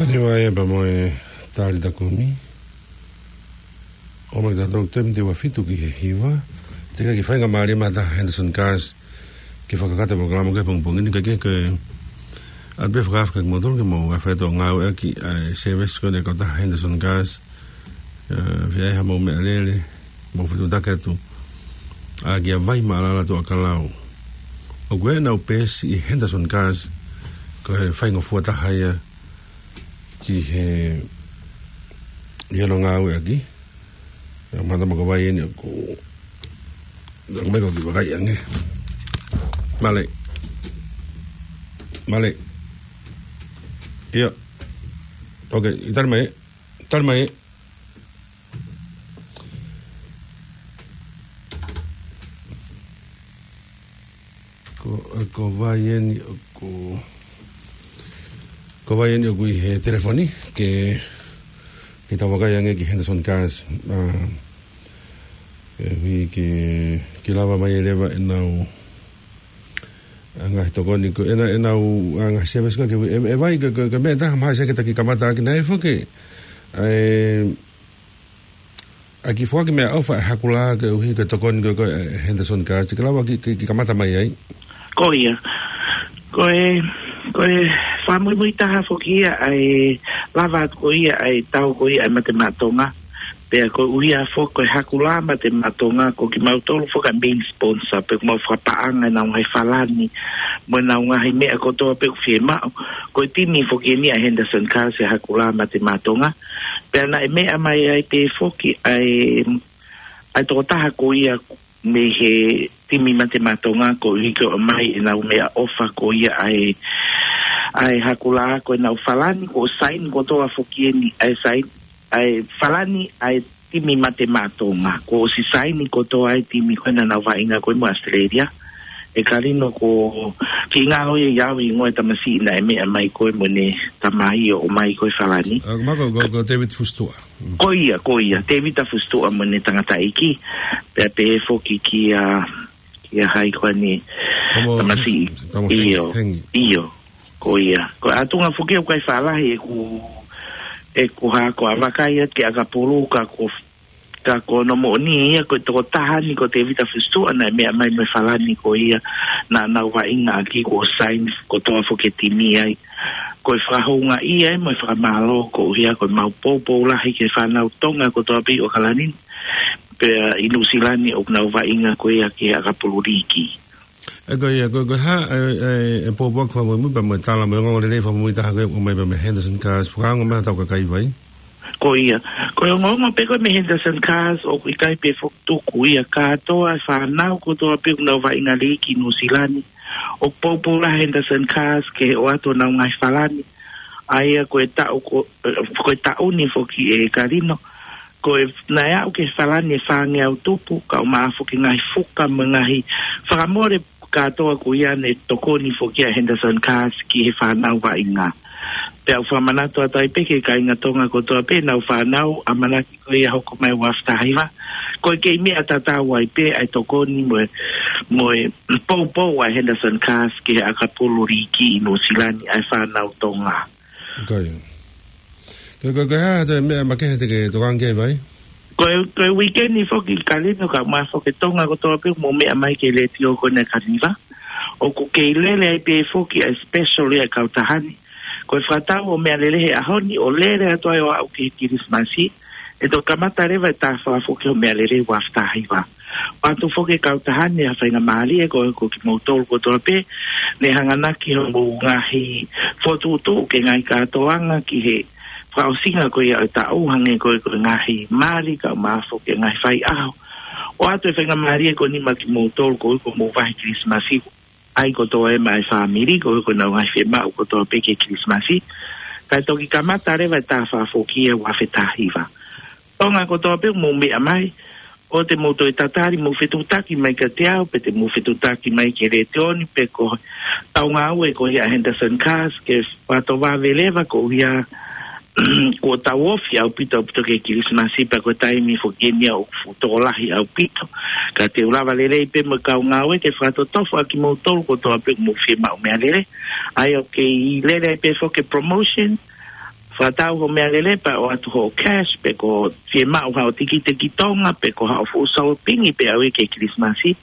Kaniva ia pea mo e Talitha Kumi. ʻOmai kiate kitautolu taimi ʻe ua fitu ki he hiva. Teʻeki ai ke fai ha faingamālie mai ʻa Henderson Cars ke fakakakato e polokalama ki he pongipongi ni, ka ke, ke ʻoatu pē fakaafe kiate kimoutolu ke mou ʻalu atu ʻo ngāueʻaki ʻa e service ko eni ʻa e kautaha Henderson Cars. ʻE, fai ai haʻamou meʻalele, mou fetuʻutaki atu ʻaki ʻa Vai Maʻalala Tuʻakalau. ʻOku ʻi ai ʻenau peesi ʻi Henderson Cars, ko e faingofua taha ia ki he, ʻi hono ngāueʻaki. ʻE, mata maka vai eni ʻoku, ʻoku mai ko ki vakai ange. Mālō. Mālō. ʻIo. Ok, ʻi tali mai, tali mai. Ko, ko vai eni ʻoku, ko vai eni ʻoku ʻi he telefoni, ke, ke tau vakai ange ki Henderson Cars, ʻa, ke ui ke, ke lava mai ʻe leva ʻenau, ʻa, ngaahi tokoni ko ena, ʻenau, ʻa, ngaahi service ka ke ui, ʻe, ʻe vai ke, ke, ke meʻa taha mai se ke taki kamata ʻaki naʻe foki, ʻa e, ʻa e kiʻi foaki meʻaʻofa ʻa e Hakulā ke ui ke tokoni ko, ko, ʻe, Henderson Cars, ke lava ke, ke, ke kamata mai ai. Ko ia. Ko e, ko e fakamuimui taha foki ia ʻa e lava atu ko ia ʻa e tau ko ia ʻa e Mate Maʻa Tonga. Pea ko e ʻuhinga foki ko e Hakulā Mate Maʻa Tonga, ko kimautolu foki ʻa e main sponsor, pea ko ʻemau fakapaʻanga ʻenau ngaahi falani, mo ʻenau ngaahi meʻa kotoa pē ʻoku fiemaʻu. Ko e timi foki eni ʻa Henderson Cars ʻa e Hakulā Mate Maʻa Tonga. Pea naʻe meʻa mai ai pē foki ʻa e, ʻa e tokotaha ko ia mei he timi Mate Maʻa Tonga koeʻuhi ke ʻomai ʻenau meʻaʻofa ko ia ʻa e, ʻa e Hakulā, ko ʻenau falani kuo saini kotoa foki eni, ʻa e saini, ʻa e falani ʻa e timi Mate Maʻa Tonga. Kuo ʻosi saini kotoa ʻa e timi ko ē naʻa nau vaʻinga ko ē mo ʻAositelēlia. ʻE Kalino, ko e kiʻi ngalo ia ʻi au hingoa ʻo e tamasiʻi naʻe meʻa mai ko ē mo ʻene tamai ʻo ʻomai ko ē falani. ʻA, ma ko, ko, ko Tevita Fusituʻa. Mm. Ko ia, ko ia, Tevita Fusituʻa mo ʻene tangataʻeiki. Pea pehē foki kia, kia hai ko eni, Tamo, tamasiʻi. Tamo Hengi, ʻIo, Hengi. ʻIo. Ko ia. Ko e ʻatunga foki ʻoku ʻikai faʻa lahi ʻeku, ʻeku hako ʻa vakai atu ki ʻAkapulu, ka ko, ka ko hono moʻoni ia ko e tokotaha ni ko Tevita Fusituʻa naʻe meʻa mai mo e falani ko ia naʻa nau vaʻinga ʻaki, kuo saini kotoa foki e timi ai. Ko e fakahoungaʻia ia mo e fakamālō koeʻuhi ko ʻemau poupou lahi ki he fānau Tonga kotoa pē ʻi ʻAokalani pea ʻi Nuʻusila ni ʻoku nau vaʻinga ko ia ki he ʻAkapulu Līki. ʻE ko ia, ko, ko e hā, ʻe, ʻe, ʻe poupou ʻoku fakamuimui pea mo e tala mo e ongoongolelei fakamuimui taha ko ē ʻoku ʻomai pea mei Henderson Cars, fakaongo mai ʻa hotau kakai vai? Ko ia, ko e ongoongo pē ko ē mei Henderson Cars, ʻoku ʻikai pē foki tuku ia kātoa e fānau kotoa pē ʻoku nau vaʻinga Līki ʻi Nuʻusila ni. ʻOku poupou lahi Henderson Cars ke ʻoatu honau ngaahi falani. ʻA ia ko e taʻu ko, ʻe, ko e taʻu ni foki ʻe Kalino, ko e naʻe aʻu ki he falani ʻe fāngeau tupu, kae ʻumaʻā foki e ngaahi fuka mo e ngaahi fakamole kātoa ko ia naʻe tokoni foki ʻa Henderson Cars ki he fānau vaʻinga. Pea ʻoku fakamanatu atu ai pē ki he kāinga Tonga kotoa pē ʻenau fānau, ʻamanaki ko ia ʻe hoko mai ʻi he ua afe taha hiva. Ko e kei meʻa tatau ai pē ʻa e tokoni mo e, mo e poupou ʻa Henderson Cars ki he ʻAkapulu Līki ʻi Nuʻusila ni ʻa e fānau Tonga. Ko ia. Ko, ko, ko e hā atu e meʻa makehe te ke tokanga ki ai vai? Ko e, ko e uike ni foki Kalino, kae ʻumaʻā foki e Tonga kotoa pē ʻoku mou meʻa mai ki he letiō ko ena ʻa e Kaniva, ʻoku kei lele ai pē foki ʻa e special ia ʻa e kautaha ni. Ko e fakatau hoʻo meʻalele he ʻaho ni ʻo lele atu ai ʻo aʻu ki he Kilisimasi, ʻe toki kamata leva e taha fakafoki hoʻo meʻalele ua afe taha hiva. ʻOatu foki ʻe he kautaha ni ha faingamālie ko, ko kimoutolu kotoa pē ne hanganaki hoʻomou ngaahi fokotuʻutuʻu ki he ngaahi kātoanga ki he fakaʻosinga ko ia ʻo e taʻu, hangē ko e, ko e ngaahi mali kae ʻumaʻā foki e ngaahi faiʻaho. ʻOatu e faingamālie ko eni maʻa kimoutolu koeʻuhi ko hoʻomou vahe Kilisimasi, ʻai kotoa ia maʻa e fāmili koeʻuhi ko ʻenau ngaahi fiemaʻu kotoa pē ki he Kilisimasi. Kae toki kamata leva e taha fakafoki ia ua afe taha hiva. Tonga kotoa pē ʻoku mou meʻa mai, ʻoua te mou toe tatali, mou fetuʻutaki mai kiate au, pe te mou fetuʻutaki mai ki he letiō ni, pe ko e kau ngāue ko ia ʻa Henderson Cars, ke fakatoʻo vave leva koeʻuhi kuo tau ofi ʻaupito ʻaupito ki he Kilisimasi, pea ko e taimi foki eni ia ʻoku fuʻu tokolahi ʻaupito. Ka te u lava lelei pē mo e kau ngāue ke fakatotofo ʻa kimoutolu kotoa pē ʻoku mou fiemaʻu meʻalele. ʻA ia ʻoku kei lele ai pē foki e promotion, fakatau hoʻo meʻalele pea ʻoatu hoʻo cash, pe ko e fiemaʻu haʻo tikite ki Tonga, pe ko haʻo fuʻu sōpingi pē ʻaʻau ki he Kilisimasi.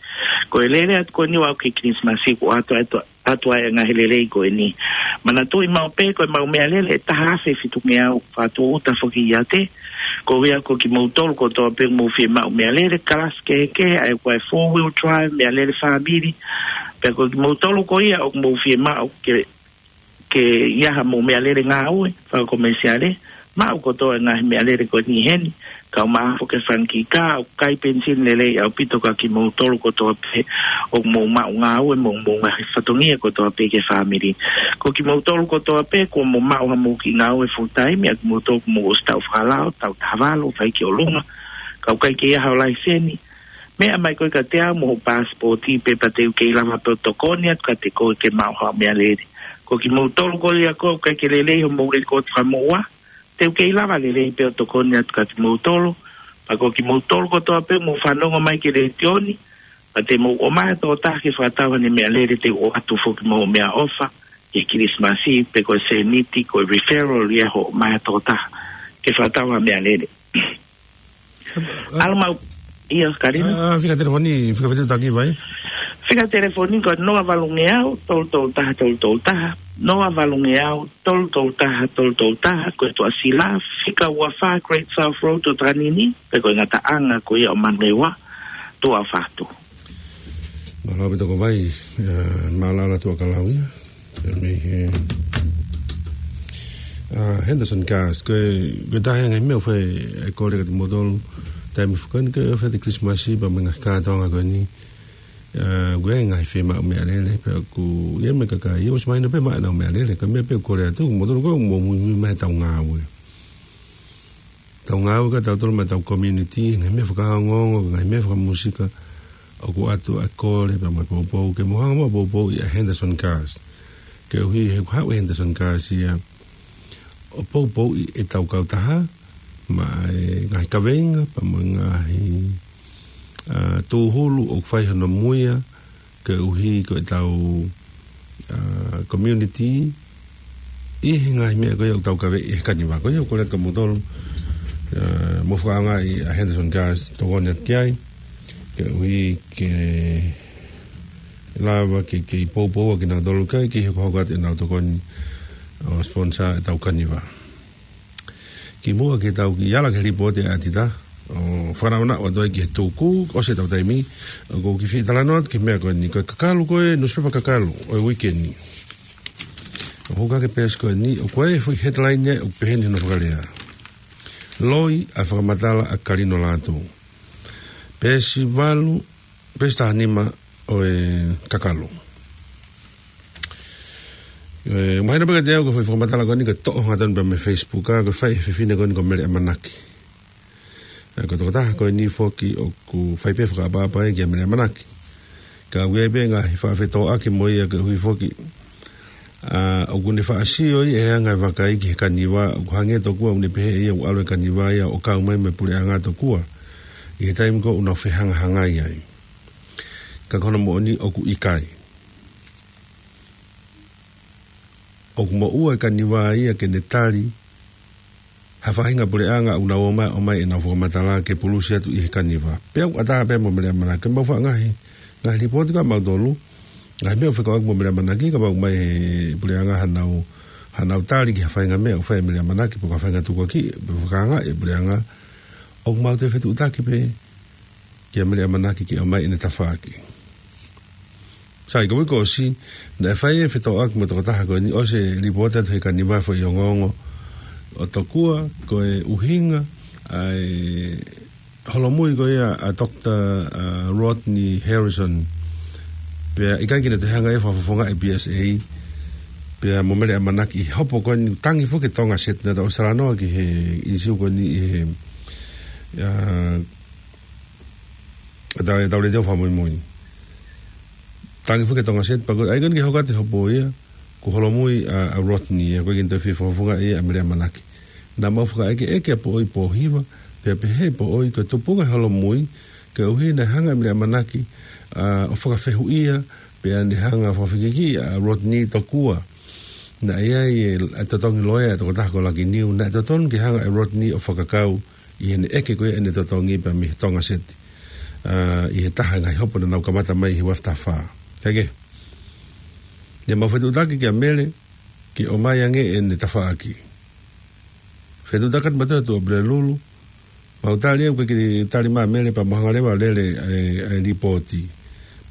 Ko e lele atu ko eni ʻo aʻu ki he Kilisimasi, kuo ʻoatu, ʻoatu, ʻoatu ai e ngaahi lelei ko eni. Manatuʻi maʻu pē ko ʻemau meʻalele ʻe taha afe fitungeau, fakatūʻuta foki ʻiate koeʻuhi ko kimoutolu kotoa pē ʻoku mou fiemaʻu meʻalele, kalasi kehekehe, ʻa ia ko e four wheel drive, meʻalele fāmili, pea ko kimoutolu ko ia ʻoku mou fiemaʻu ke ke ʻi ai haʻamou meʻalele ngāue fakakomesiale, maʻu kotoa e ngaahi meʻalele ko eni heni, kau maha foki e fanga kiʻi kā, ʻoku kai penisini lelei ʻaupito kia kimoutolu kotoa pē ʻoku mou maʻu ngāue mo hoʻomou ngaahi fatongia kotoa pē ki he fāmili. Ko kimoutolu kotoa pē kuo mou maʻu haʻamou kiʻi ngāue full time, ʻa kimoutolu kuo mou ʻosi taʻu fakalao, taʻu taha valu, fai ki ʻolunga, kau ʻikai ke ʻi ai haʻo laiseni, meʻa mai koe kiate au mo hoʻo paasipooti, pea te u kei lava pē ʻo tokoni atu kiate koe ke maʻu haʻo meʻalele. Ko kimoutolu ko ia ʻoku ʻikai ke lelei hoʻomou lēkooti fakamoʻua, te u kei lava lelei pē ʻo tokoni atu kiate kimoutolu. Pea ko kimoutolu kotoa pē ʻoku mou fanongo mai ki he letiō ni, pea te mou ʻomai ha tokotaha ke fakatau haʻane meʻalele, te u ʻoatu foki mo e meʻaʻofa, ʻi he Kilisimasi, pe ko e sēniti, ko e referral ia hoʻo ʻomai ha tokotaha ke fakatau haʻa meʻalele. ʻAlu mau, ʻio, Kalina. Ah, fika telefoni, fika fetuʻutaki vai? Fika telefoni ko e noa valungeau, tolu tolu taha, tolu tolu taha, noa valungeau, tolu tolu taha, tolu tolu taha, ko e Tuʻasila, fika ua fā Great South Road ʻo Takanini, pe ko e ngataʻanga ko ia ʻo Manurewa, Tuʻa Fatu. Mālō ʻaupito ko vai, eh, mālō ʻaupito Tuʻakalau ia. Mei he, ah, Henderson Gas, ko e, ko e taha e ngaahi meʻa ʻoku fai e kole kiate kimoutolu, taimi fakaʻosi ko e fai e Kilisimasi, pea mo e ngaahi kātoanga ko eni, ah, ko e ngaahi fiemaʻu meʻalele, pea ʻoku ʻi ai mo e kakai, ʻosi mahino pē maʻu ʻenau meʻalele, ka ko e meʻa pē ʻoku kole atu, kimoutolu ko ē ʻoku mou muimui mai he ʻetau ngāue. ʻEtau ngāue ka tautolu mo ʻetau community, ngaahi meʻa fakaongoongo, ngaahi meʻa fakamūsika, ʻoku ʻoatu ʻa e kole, pea mo e poupou, ke mou hanga muʻa ʻo poupouʻi ʻa e Henderson Gas. Koeʻuhi he ʻoku haʻu e Henderson Gas ia ʻo poupouʻi ʻetau kautaha, maʻa e ngaahi kaveinga, pea mo e ngaahi, ah, tūhulu ʻoku fai hono muia, koeʻuhi ko ʻetau, ah, community, ʻi he ngaahi meʻa ko ia ʻoku tau kavei ʻi he kaniva. Ko ia ʻoku kole atu kia kimoutolu, ah, mou fakaʻaongaʻi ʻa e Henderson Gas, tokoni atu ki ai, koeʻuhi ke lava ke, ke poupou ʻa kinautolu kae kei hokohoko atu ʻenau tokoni ʻo sponsor ʻetau kaniva. Kimuʻa ke tau kiʻi ala ki he lipooti ʻa ʻAtita, ʻo fakanaʻonaʻo atu ai ki he tuku, ʻosi ʻetau taimi, ʻoku ou kiʻi fie talanoa atu ki he meʻa ko eni, ko e kakalu ko ē, nusipepa kakalu ʻo e uike ni. ʻOku hoko ʻaki e peesi ko eni, ʻoku ʻi ai e foʻi headline ia, ʻoku pehē ni hono fakalea: Loi ʻa e fakamatala ʻa Kalino Lātū. Peesi valu, peesi taha nima ʻo e kakalu. ʻE, mahino pē kiate au ko e foʻi fakamatala ko eni ko e toʻo hangatonu pē mei he Facebook, ʻa, ko e fai ʻe he fefine ko eni ko Mele ʻAmanaki. ʻE, ko e tokotaha ko eni foki ʻoku fai pē fakaʻapaʻapa ia kia Mele ʻAmanaki. Ka ʻoku ʻi ai pē ngaahi faʻa fetōʻaki mo ia koeʻuhi foki, ʻa, ʻoku ne faʻa sio ʻi he anga e vakai ki he kaniva, ʻoku hangē tokua ʻoku ne pehē ʻe ia ʻoku ʻalu e kaniva ia ʻo kau mai mo e puleʻanga tokua ʻi he taimi ko ē ʻoku nau fehangahangai ai. Ka ko hono moʻoni ʻoku ʻikai. ʻOku moʻua e kaniva ia ke ne tali ha faʻahinga puleʻanga ʻoku nau ō mai, ō mai ʻenau fakamatala ke pulusi atu ʻi he kaniva. Pea ʻoku ʻatā pē mo Mele ʻAmanaki, mau faʻa ngaahi, ngaahi lipooti kia mautolu, ngaahi meʻa ʻoku fekauʻaki mo Mele ʻAmanaki, ka maʻu mai he puleʻanga hanau, hanau tali ki ha faʻahinga meʻa ʻoku fai ʻe Mele ʻAmanaki, pe ko ha faʻahinga tukuakiʻi, pe fakaangaʻi e puleʻanga, ʻoku mau toe fetuʻutaki pē kia Mele ʻAmanaki ke ʻomai ʻene tafaʻaki. Sai, ko e uike kuo ʻosi, naʻe fai e fetōʻaki mo e tokotaha ko eni, ʻosi e lipooti atu he kaniva e foʻi ongoongo ʻo tokua ko e ʻuhinga ʻa e holomui ko ia ʻa Doctor, ʻa, Rodney Harrison. Pea ʻikai ke ne toe hanga ʻe ia ʻo fakafofongaʻi e P S A, pea mo Mele ʻAmanaki ʻi he hopo ko eni, tangi foki e Tonga Sat, naʻa tau ʻosi talanoa ki he ʻīsiu ko eni ʻi he, ʻa, ʻetau, ʻetau letiō fakamuimui. Tangi foki e Tonga Sat, pea ko e ʻai ko eni ke hoko atu e hopo ia, kuo holomui ʻa, ʻa Rodney, ʻa, ʻoku ʻikai ke ne toe fie fakafofongaʻi ia ʻa Mele ʻAmanaki. Naʻa mau fakaʻekeʻeke ʻa Poʻoi Pōhiva, pea pehē ʻe Poʻoi ko e tupunga e holomui, koeʻuhi naʻe hanga ʻe Mele ʻAmanaki, ʻa, ʻo fakafehuʻia, pea ne hanga ʻo fakafekikiʻi ʻa Rodney tokua naʻe ʻi ai e, e totongi loea e tokotaha ko Lakiniu, naʻe totonu ke hanga ʻe Rodney ʻo fakakau ʻi heʻene ʻeke ko ia ʻene totongi pea mei he Tonga Sat, ʻa, ʻi he taha e ngaahi hopo naʻa nau kamata mai he ua afe taha fā. Kae kehe, naʻa mau fetuʻutaki kia Mele ke ʻomai ange ʻene tafaʻaki. Fetuʻutaki atu mautolu ʻi he Tuʻapulelulu, mau tali au ke ke tali mai Mele pea mau hanga leva ʻo lele e, e lipooti.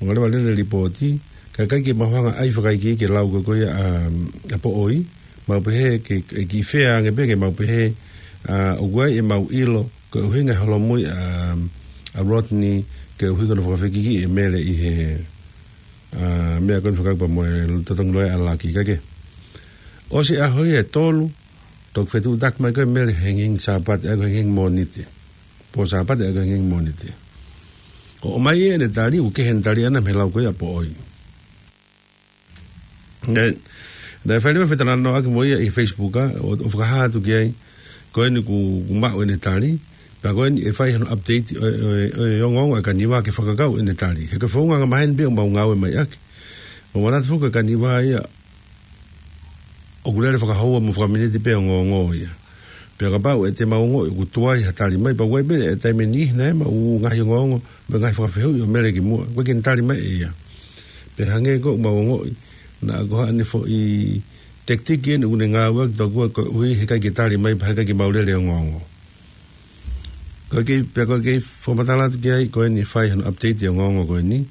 Mau hanga leva ʻo lele e lipooti, ka ʻikai ke mau hanga ʻai fakaikiiki e lau ko ē ko ia ʻa, ʻa Poʻoi, mau pehē ke, ke kiʻi fea ange pē ke mau pehē ʻA, ʻoku ʻi ai ʻemau ʻilo, ko e ʻuhinga e holomui ʻa, ʻa Rodney, ko e ʻuhi ko hono fakafekikiʻi ʻe Mele ʻi he, ʻa, meʻa ko eni fekauʻaki pea mo e totongi loea ʻa Laki, kae kehe. ʻOsi e ʻaho ia ʻe tolu, toki fetuʻutaki mai ko ē Mele he hengihengi Sāpate, ʻa ia ko e hengihengi Mōnite. Pō Sāpate, ʻa ia ko e hengihengi Mōnite. ʻO ʻomai ʻene tali, ʻoku kehe ʻene tali ʻana mei he lau ko ia ʻa Poʻoi. Naʻe, naʻe fai leva fetalanoaʻaki mo ia ʻi he Facebook, ʻa, ʻo, ʻo fakahā atu ki ai, ko eni kuo, kuo maʻu ʻene tali, pea ko eni ʻe fai hano update ʻo, ʻo, ʻo, ʻo e ongoongo ʻa Kaniva ke fakakau ʻene tali. He ko e founga angamaheni pē ʻoku mau ngāue mai ʻaki. Mau manatu foki ko Kaniva ia, ʻoku lele fakahoua mo fakaminiti pē ongoongo ia. Pea kapau ʻe te mau ongoʻi ʻoku tuai ha tali mai, pea ʻoku ʻi ai pē ʻa e taimi ʻe niʻihi naʻe maʻu ngaahi ongoongo, mo e ngaahi fakafehuʻi ʻo Mele kimuʻa, ʻoku ʻikai ke ne tali mai ʻe ia. Pea hangē ko ʻemau ongoʻi, naʻa ko haʻane foʻi tactic eni ʻoku ne ngāueʻaki tokua ko e ʻuhi he ʻikai ke tali mai, pea he ʻikai ke mau lele ongoongo. Ko e kei, pea ko e kei fakamatala atu ki ai, ko eni ʻe fai hano update e ongoongo ko eni.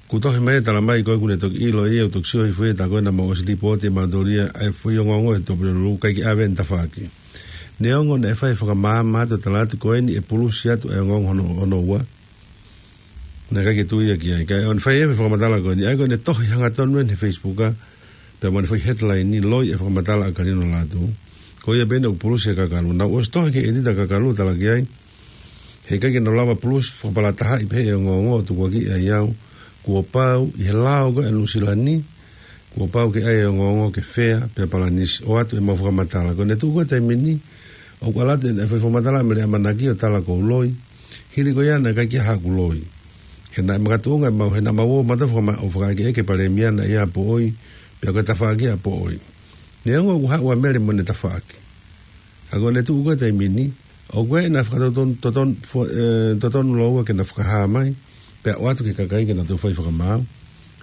Kuo tohi mai e tala mai ko ē kuo ne toki ʻilo ia, ʻo toki sio hifo ia, tā ko ē naʻa mau ʻosi lipooti ʻe mautolu ia ʻa e foʻi ongoongo he topule lulu, ʻikai ke ʻave ʻene tafaʻaki. Neongo naʻe fai fakamaama atu e tala atu ko eni ʻe pulusi atu e ongoongo hono, hono ua. Naʻe ʻikai ke tui ia ki ai. Kae ʻoua naʻa fai e fakamatala ko eni. ʻA ia ko ʻene tohi hangatonu eni he Facebook, ʻa, pea mo ʻene foʻi headline ni, Loi e fakamatala ʻa Kalino Lātū. Ko ia pē eni ʻoku pulusi ʻe Kakalu. Naʻa ku ʻosi tohi ki he ʻētita ʻa Kakalu ʻo tala ki ai, he ʻikai ke nau lava pulusi fakapalatahaʻi pē e ongoongo ʻo tukuakiʻi ai au. Kuo pau, ʻi he lao ko ē ʻa Nuʻusila ni, kuo pau ke ʻai e ongoongo ke fea, pea palanisi, ʻoatu ʻemau fakamatala. Ko ʻene tuʻu ko ē taimi ni, ʻoku ʻalu atu ʻene fai fakamatala ʻa Mele ʻAmanaki ʻo tala ʻoku ou loi. Hili ko ia naʻe ʻikai ke ʻi ai haʻaku loi. He naʻe makatuʻunga ʻemau, he naʻa mau ō mautolu fakama-, ʻo fakaʻekeʻeke palēmia naʻe ʻi ai ʻa Poʻoi, pea ko e tafaʻaki ʻa Poʻoi. Neongo ʻoku haʻu ʻa Mele mo ʻene tafaʻaki. Ka ko ʻene tuʻu ko ē taimi ni, ʻoku ʻi ai ʻena fakatotonu, totonu, fo-, ʻe, totonu lōua ke na fakahā mai, pea ʻoatu ki he kakai ke na toe fai fakamaau.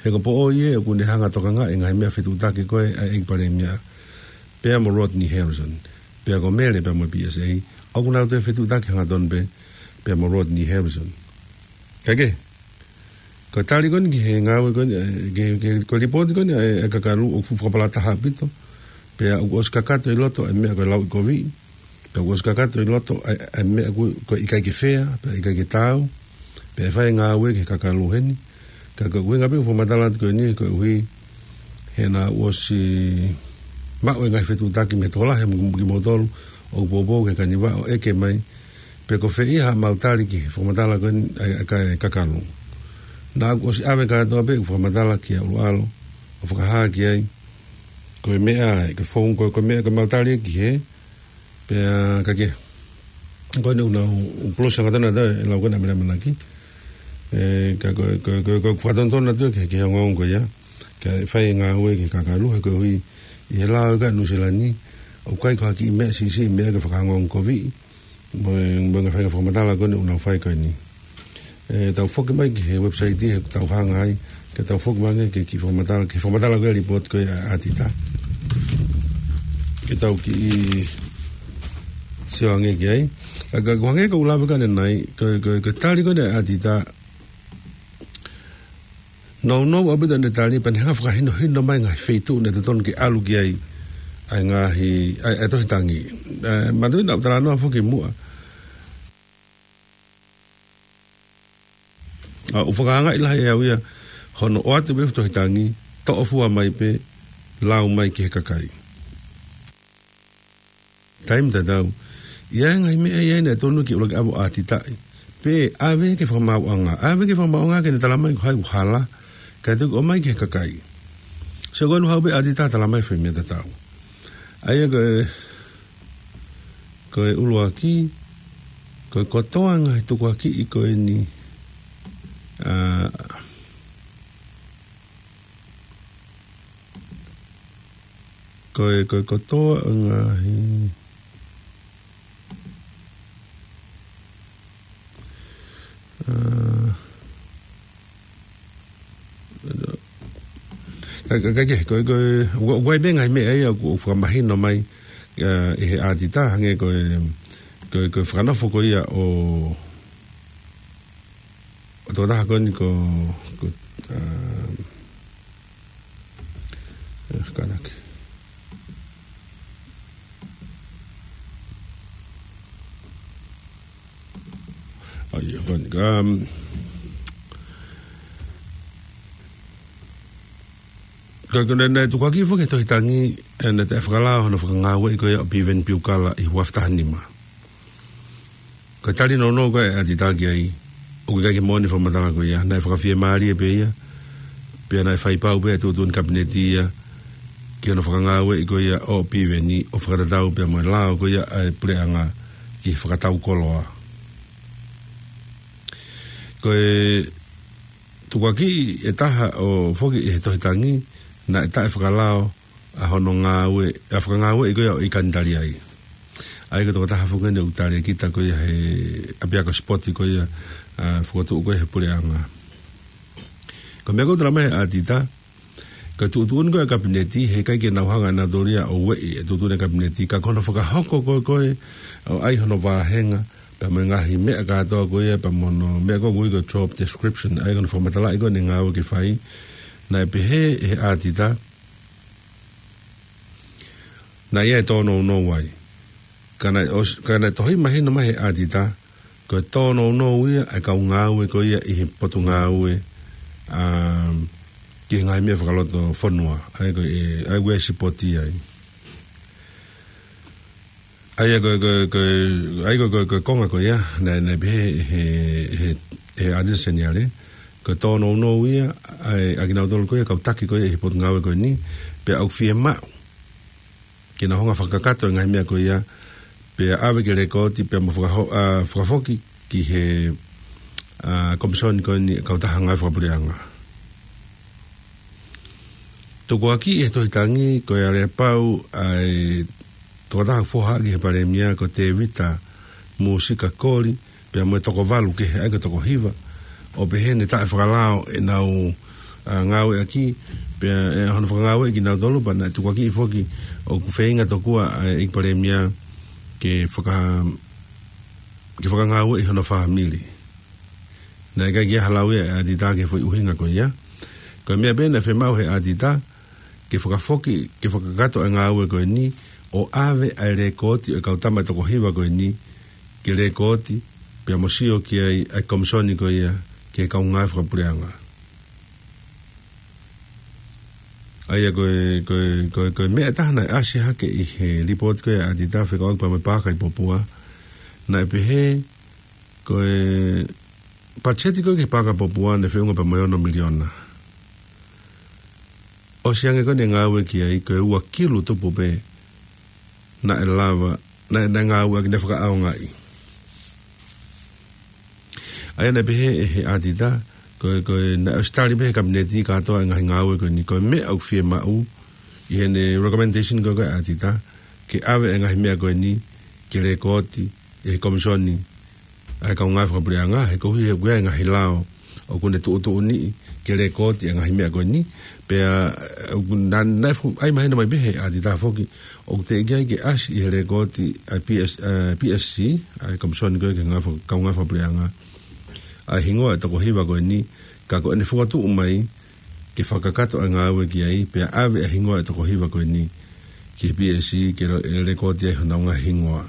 He ko Poʻoi ē ʻoku ne hanga ʻo tokangaʻi e ngaahi meʻa fetuʻutaki ko ē ʻa e ʻEiki Palēmia, pea mo Rodney Harrison. Pea ko Mele pea mo e P S A, ʻoku nau toe fetuʻutaki hangatonu pē, pea mo Rodney Harrison. Kae kehe, ko e tali ko eni ki he ngāue ko eni, ʻe, ki he, ki he, ko e lipooti ko eni ʻa e, ʻa e Kakalu ʻoku fuʻu fakapalataha ʻaupito. Pea ʻoku ʻosi kakato ʻi loto e meʻa ko e lauʻikoviʻi. Pea ʻoku ʻosi kakato ʻi loto e, e meʻa ko, ko e ʻikai ke fea, pea ʻikai ke taau. Pea ʻe fai e ngāue ki he Kakalu heni. Ka ko e ʻuhinga pē ʻoku fakamatala atu ko eni, ko e ʻuhi he naʻa ku ʻosi maʻu e ngaahi fetuʻutaki mei he tokolahi mo kimoutolu ʻoku poupou ki he Kaniva ʻo ʻeke mai pe ko fē ia haʻamau tali ki he fakamatala ko eni ʻa e, ʻa e Kakalu. Naʻa ku ʻosi ʻave kātoa pē ʻeku fakamatala kia ʻUluʻalo ʻo fakahā ki ai ko e meʻa, ko e founga, ko e, ko e meʻa ko ʻemau tali ki hē. Pea kae kehe, ko eni ʻoku nau pulusi hangatonu atu e lau ko ena ʻa Mele ʻAmanaki. ʻE, ka ko, ko, ko, ko e fakatonutonu atu ki he, ki he ongoongo ko ia. Kae fai e ngāue ki he Kakalu, he ko e ʻuhi ʻi he lao ʻa Nuʻusila ni, ʻoku ʻikai ko ha kiʻi meʻa siʻisiʻi, meʻa ke fakaongoongokoviʻi mo e, mo e ngaahi faʻahinga fakamatala ko eni ʻoku nau fai ko eni. ʻE, tau foki mai ki he website he tau hanga ai, ke tau foki mai ki he kiʻi fakamatala, ki he fakamatala ko e lipooti ko e ʻa, ʻa ʻAtita. Ke tau kiʻi sio ange ki ai. Ka, ka, ko e hangē ko ʻeku lave ko ē ʻanenai, ko, ko, ko e tali ko ē ʻa ʻAtita, nounou ʻaupito ʻene tali, pea ne hanga ʻo fakahinohino mai e ngaahi feituʻu naʻe totonu ke ʻalu ki ai ʻa e ngaahi, ʻa e, ʻa e tohi tangi. ʻE, manatuʻi naʻa ku talanoa foki muʻa. ʻA, ʻoku fakaangaʻi lahi ʻe au ia, hono ʻoatu pē e tohi tangi, toʻo fua mai pē, lau mai ki he kakai. Taimi tatau, ʻi ai e ngaahi meʻa ia naʻe tonu ke ʻuluaki ʻave ʻo ʻAtitaʻi. Pe ʻave ki he fakamaauʻanga. ʻAve ki he fakamaauʻanga ke ne tala mai ko hai ʻoku hala, kae toki ʻomai ki he kakai. So ko eni haʻu pē ʻAtita ʻo tala mai e foʻi meʻa tatau. ʻA ia ko e, ko e ʻuluaki, ko e kotoa e ngaahi tukuakiʻi ko eni, ʻa, ko e, ko e kotoa e ngaahi, ʻa, ka, ka, ka, ke, ko e, ko e, ʻoku, ʻoku ʻi ai pē e ngaahi meʻa ia ʻoku, ʻoku fakamahino mai, ʻa, ʻe he ʻAtita, hangē ko e, ko e, ko e fakanofo ko ia ʻo, ʻo e tokotaha ko eni ko, ko, ʻa, ʻa, kātaki. ʻA ia, ko eni, um, ka ko ʻene, naʻe tukuakiʻi foki he tohi tangi, ʻa ʻene taʻefakalao hono fakangāueʻi ko ia ʻo Piveni Piukala ʻi he ua afe taha nima. Ko e tali nounou ko ē ʻa ʻAtita ki ai, ʻoku ʻikai ke moʻoni e fakamatala ko ia, naʻe fakafiemālie pē ia, pea naʻe fai pau pē ʻe he tuʻutuʻuni Kapineti ia, ki hono fakangāueʻi ko ia ʻo Piveni, ʻo fakatatau pea mo e lao ko ia ʻa e puleʻanga ki he fakatau koloa. Ko e tukuakiʻi ʻe taha ʻo foki ʻi he tohi tangi, naʻe taʻefakalao ʻa hono ngāue, ʻa e fakangāueʻi ko ia ʻo ʻIkani Taliai. ʻA ia ko e tokotaha foki eni ʻoku tali kita ko ia he ʻapiako sipoti ko ia, ʻa, fokotuʻu ko ia he puleʻanga. Ko e meʻa ko ē ʻoku talamai ʻe ʻAtita, ko e tuʻutuʻuni ko ē Kapineti, heʻikai ke nau hanga ʻe nautolu ia ʻo ueʻi e tuʻutuʻuni Kapineti, ka ko hono fakahoko ko ē ko ē, ʻo ʻai hono vāhenga, pea mo e ngaahi meʻa kātoa ko ia, pea mo hono meʻa ko ē ʻoku ui ko e job description, ʻa ia ko hono fakamatalaʻi ko ē ʻene ngāue ke fai, naʻe pehē ʻe he ʻAtita, naʻe ʻi ai e tōnounou ai. Ka naʻe ʻos-, ka naʻe tohi mahino mai ʻe he ʻAtita, ko e tōnounou ia ʻa e kau ngāue ko ia ʻi he potungāue, um, ki he ngaahi meʻa fakalotofonua, ʻa ia ko e, ʻa ia ko e sipoti ai. ʻA ia ko e, ko e, ko e, ʻa ia ko e, ko e, ko e konga ko ia, naʻe, naʻe pehē ʻe he, he, he ʻAtita Seniale, ko e tōnounou ia, ʻa e, ʻa kinautolu ko ia, kau taki ko ia ʻi he potungāue ko eni, pea ʻoku fiemaʻu ke nau hanga ʻo fakakakato e ngaahi meʻa ko ia, pea ʻave ke lekooti, pea mo fakaho-, ʻa, fakafoki ki he, ʻa, Komisoni ko eni ʻa e Kautaha Ngāue Fakapuleʻanga. Tukuakiʻi ʻe he tohi tangi, ko e aleapau ʻa e tokotaha foha ki he Palēmia ko Tēvita Mūsika Koli, pea mo e toko valu kehe, ʻa ia ko e toko hiva, ʻo pehē naʻe taʻefakalao ʻenau, ʻa, ngāueʻaki, pea ʻi hono fakangāueʻi kinautolu, pea naʻe tukuakiʻi foki ʻoku feinga tokua ʻa e ʻEiki Palēmia ke faka-, ke fakangāueʻi hono fāmili. Naʻe ʻikai ke ʻi ai ha lau ia ʻa ʻAtita ki he foʻi ʻuhinga ko ia. Ko e meʻa pē naʻe fiemaʻu ʻe he ʻAtita, ke fakafoki, ke fakakakato e ngāue ko eni, ʻo ʻave ʻa e lekooti ʻo e kau tama ʻe toko hiva ko eni, ke lekooti, pea mo sio ki ai ʻa e Komisoni ko ia ki he Kau Ngāue Fakapuleʻanga. ʻA ia ko e, ko e, ko e, ko e meʻa ʻe taha naʻe ʻasi hake ʻi he lipooti ko ia ʻa ʻAtita fekauʻaki pea mo e Paaka ʻi Popua, naʻe pehē, ko e patiseti ko ē ki he Paaka Popua naʻe feʻunga pea mo e ono miliona. ʻOsi ange ko ē ʻene ngāue ki ai, ko e ua kilu tupu pē naʻe lava, naʻe, naʻe ngāueʻaki, naʻe fakaʻaongaʻi. ʻA ia naʻe pehē ʻe he ʻAtita, ko e, ko e, naʻe ʻosi tali pē ʻe he Kapineti kātoa e ngaahi ngāue ko eni, ko e meʻa ʻoku fiemaʻu ʻi heʻene recommendation ko ē ko ē ʻa ʻAtita, ke ʻave e ngaahi meʻa ko eni ke lekooti ʻe he Komisoni ʻa e Kau Ngāue Fakapuleʻanga, he koeʻuhi he ʻoku ʻi ai e ngaahi lao ʻoku ne tuʻutuʻuni ke lekooti e ngaahi meʻa ko eni, pea, ʻoku na-, naʻe fu-, ʻai mahino mai pē ʻe he ʻAtita foki, ʻoku teʻeki ai ke ʻasi ʻi he lekooti ʻa e P S, ʻa e P S C, ʻa e Komisoni ko ē ki he Ngāue Faka-, Kau Ngāue Fakapuleʻanga, ʻa e hingoa ʻo e toko hiva ko eni, ka ko ʻene fokotuʻu mai, ke fakakakato e ngāue ki ai, pea ʻave e hingoa ʻo e toko hiva ko eni ki he P S C, ke lo-, ʻe lekooti ai honau ngaahi hingoa.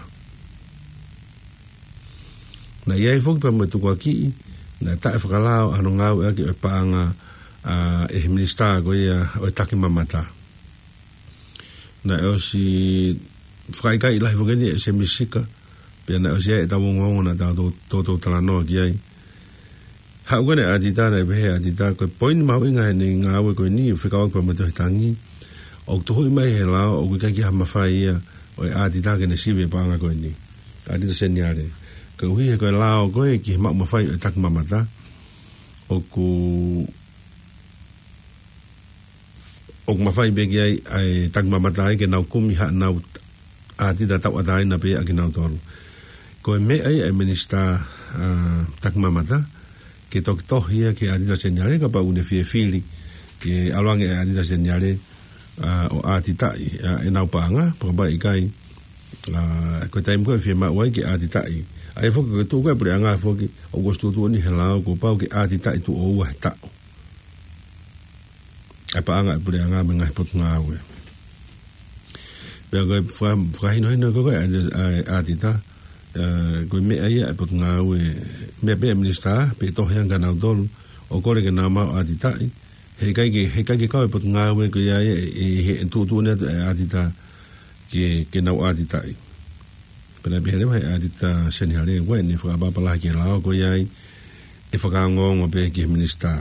Naʻe ʻi ai foki pea mo e tukuakiʻi, naʻe taʻefakalao ʻa hono ngāueʻaki ʻo e paʻanga, ʻa, ʻe he Minisitā ko ia ʻo e Takimamata. Naʻe ʻosi fakaʻikaiʻi lahi foki eni ʻe Semi Sika, pea naʻe ʻosi ʻi ai ʻetau ongoongo naʻa tau tou-, tou-, toutou talanoa ki ai. Haʻu ko ē ʻa ʻAtita, naʻe pehē ʻe ʻAtita, ko e poini mahuʻinga ʻene ngāue ko eni, fekauʻaki pea mo e tohi tangi, ʻoku tuhuʻi mai ʻe he lao ʻoku ʻikai ke ʻi ai ha mafai ia ʻo e ʻAtita ke ne sivi e paʻanga ko eni. ʻAtita Seniale. Koeʻuhi he ko e lao ko ē ki he maʻu mafai ʻo e Takimamata, ʻoku ʻoku mafai pē ki ai ʻa e Takimamata ai ke nau kumi haʻanau ʻAtita tauʻatāina pē ʻa kinautolu. Ko e meʻa ia ʻa e Minisitā, ʻa, Takimamata, ke toki tohi ia ki he ʻAtita Seniale, kapau ʻoku ne fie fili ke ʻalu ange ʻa e ʻAtita Seniale, ʻa, ʻo ʻatitaʻi, ʻa, ʻenau paʻanga, pea kapau ʻikai, ʻa, ko e taimi ko ē ʻe fiemaʻu ai ke ʻatitaʻi. ʻA ia foki ko e tuʻu ko ē ʻa e puleʻanga foki, ʻoku ʻosi tuʻutuʻuni ʻe he lao kuo pau ke ʻatitaʻi tuʻo ua he taʻu ʻa e paʻanga ʻa e puleʻanga mei he ngaahi potungāue. Pea ko e faka-, fakahinohino ko ē ʻa e, ʻa e ʻAtita, ʻA, ko e meʻa ia ʻa e potungāue, meʻa pē ʻa e minisitā, pea tohi ange kia nautolu, ʻo kole ke nau maʻu ʻatitaʻi, he ʻikai ke, he ʻikai ke kau e potungāue ko ia ia, ʻi he tuʻutuʻuni atu e ʻatita ke, ke nau ʻatitaʻi. Pea naʻe pehē leva ʻe he ʻatita Seni Hale, ʻoku ʻi ai ʻene fakaʻapaʻapa lahi ki he lao ko ia ai, ʻe fakaongoongo pē ki he minisitā.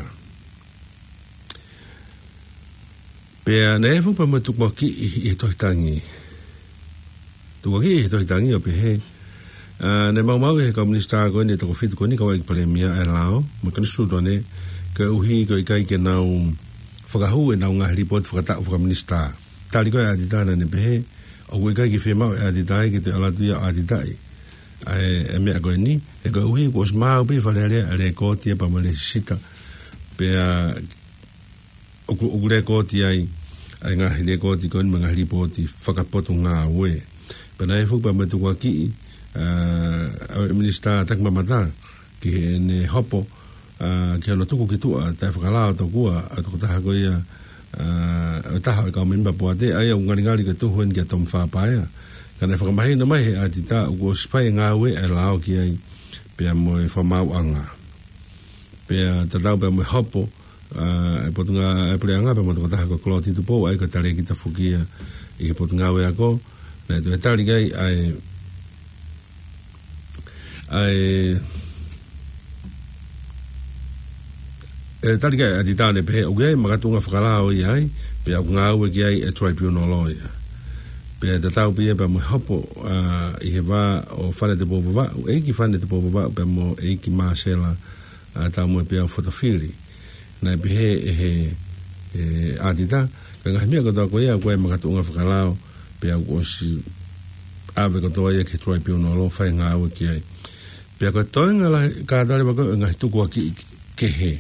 Pea naʻe fuʻu pea mo e tukuakiʻi ʻi, ʻi he tohi tangi. Tukuakiʻi ʻi he tohi tangi ʻo pehē, ʻa, naʻe maumauʻi ʻe he kau minisitā ko eni ʻe toko fitu ko eni, kau ʻEiki Palēmia ʻa e lao, mo e Konisitūtone, koeʻuhi ko e ʻikai ke nau fakahū ʻenau ngaahi lipooti fakataʻu fakaminisitā. Tali ko ē ʻa e ʻatita naʻa ne pehē, ʻoku ʻikai ke fiemaʻu ʻe he ʻatita ia ke toe ʻalu atu ia ʻo ʻatitaʻi ʻa e, e meʻa ko eni, he koeʻuhi kuo ʻosi maau pē ʻe he Fale Alea ʻa e lēkooti ia pea mo e lēsisita. Pea ʻoku, ʻoku lēkooti ai ʻa e ngaahi lēkooti ko eni mo e ngaahi lipooti fakapotungāue. Pea naʻe fuʻu pea mo e tukuakiʻi, ʻa, ʻa e minisitā takimamata ki heʻene hopo, ʻa, ki hono tuku ki tuʻa taʻefakalao tokua ʻa e tokotaha ko ia, ʻa, ʻo e taha ʻo e kau mēmipa poate, ʻa ia ʻoku ngalingali ke tuhu eni kia Tom Fapaea. Ka naʻe fakamahino mai ʻe he ʻatita ʻoku ʻosi fai e ngāue ʻa e lao ki ai, pea mo e fakamaauʻanga. Pea tatau pea mo e hopo, ʻa, e potungāue ʻa e puleʻanga pea mo e tokotaha ko Clotty Tupou, ʻa ia ko e talēkita foki ia ʻi he potungāue ako, naʻe toe tali ki ai ʻa e, ʻa e, ʻe tali ki ai ʻa e ʻatita naʻe pehē, ʻoku ʻi ai e makatuʻunga fakalao ia ai, pea ʻoku ngāue ki ai e tribunal lawyer. Pea tatau pē ia pea mo e hopo, ʻa, ʻi he vā ʻo Fane Tupou Vavaʻu, ʻEiki Fane Tupou Vavaʻu pea mo ʻEiki Māsela, ʻa, Taumue Peau Fotofili. Naʻe pehē ʻe he, ʻe he ʻatita, ko e ngaahi meʻa kotoa ko ia, ko e makatuʻunga fakalao, pea kuo ʻosi ʻave kotoa ia ki he tribunal ʻo fai e ngāue ki ai. Pea ko e toenga lahi kātoa leva ko ē ʻo e ngaahi tukuakiʻi kehe.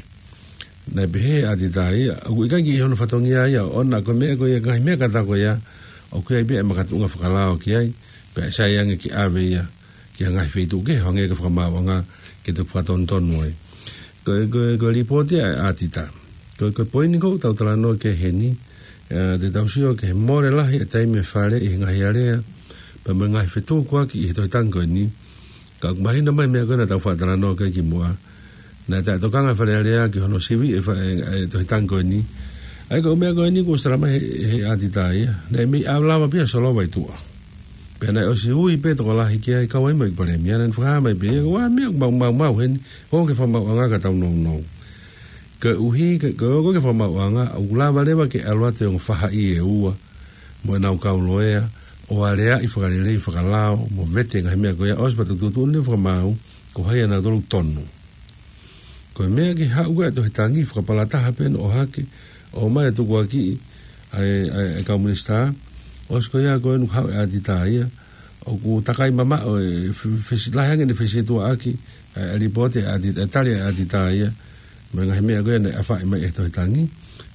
Naʻe pehē ʻe he ʻatita ia, ʻoku ʻikai ke ʻi hono fatongia ia, ʻo ʻoua ko e meʻa ko ia, ngaahi meʻa kātoa ko ia, ʻoku ʻi ai pē e makatuʻunga fakalao ki ai, pea ʻe sai ange ke ʻave ia ki ha ngaahi feituʻu kehe, hangē ko e fakamaauʻanga ke toe fakatonutonu ai. Ko e, ko e, ko e lipooti ʻa e ʻatita. Ko e, ko e poini ʻoku tau talanoa ki ai heni, ʻa, te tau sio ki he mole lahi e taimi ʻa e Fale ʻi he ngaahi alea, pea mo e ngaahi fetukuaki ʻi he tohi tangi ko eni. Ka ʻoku mahino mai e meʻa ko ē naʻa tau faʻa talanoa ki ai kimuʻa. Naʻe taʻetokanga e Fale Alea ki hono sivi e fa-, e, e tohi tangi ko eni. ʻA ia ko e meʻa ko eni kuo ʻosi talamai ʻe he, he ʻatita ia. Naʻe mei ʻave lava pē ia ʻo solova ʻi tuʻa. Pea naʻe ʻosi ui pē tokolahi ki ai kau ai mo e ʻEiki Palēmia, naʻa ne fakahā mai pē ia, ko e meʻa ʻoku mau, mau, mau heni, ʻoku ʻikai ke fakamauʻanga ka tau nounou. Koeʻuhi, ke, ko e ʻoua ke fakamauʻanga, ʻoku lava leva ke ʻalu atu e ongo faʻahi ʻe ua, mo ʻenau kau loea, ʻo aleaʻi fakalelei fakalao, mo vete e ngaahi meʻa ko ia, ʻosi pea tuʻutuʻuni fakamaau, ko hai ʻa nautolu ʻoku tonu. Ko e meʻa ke haʻu ko ē e tohi tangi, fakapalataha pē ʻo ʻohake, ʻomai e tukuakiʻi ʻa e, ʻa e, ʻa e kau minisitā, ʻosi ko ia ko ē naʻe haʻu e ʻatita ia, ʻoku takai mamaʻo e fe-, fesi-, lahi ange ʻene fesietuaʻaki, ʻa e, ʻa e lipooti ʻa e ʻati-, ʻa e tali ʻa e ʻatita ia, mo e ngaahi meʻa ko ia naʻe ʻafaʻi mai ʻe he tohi tangi,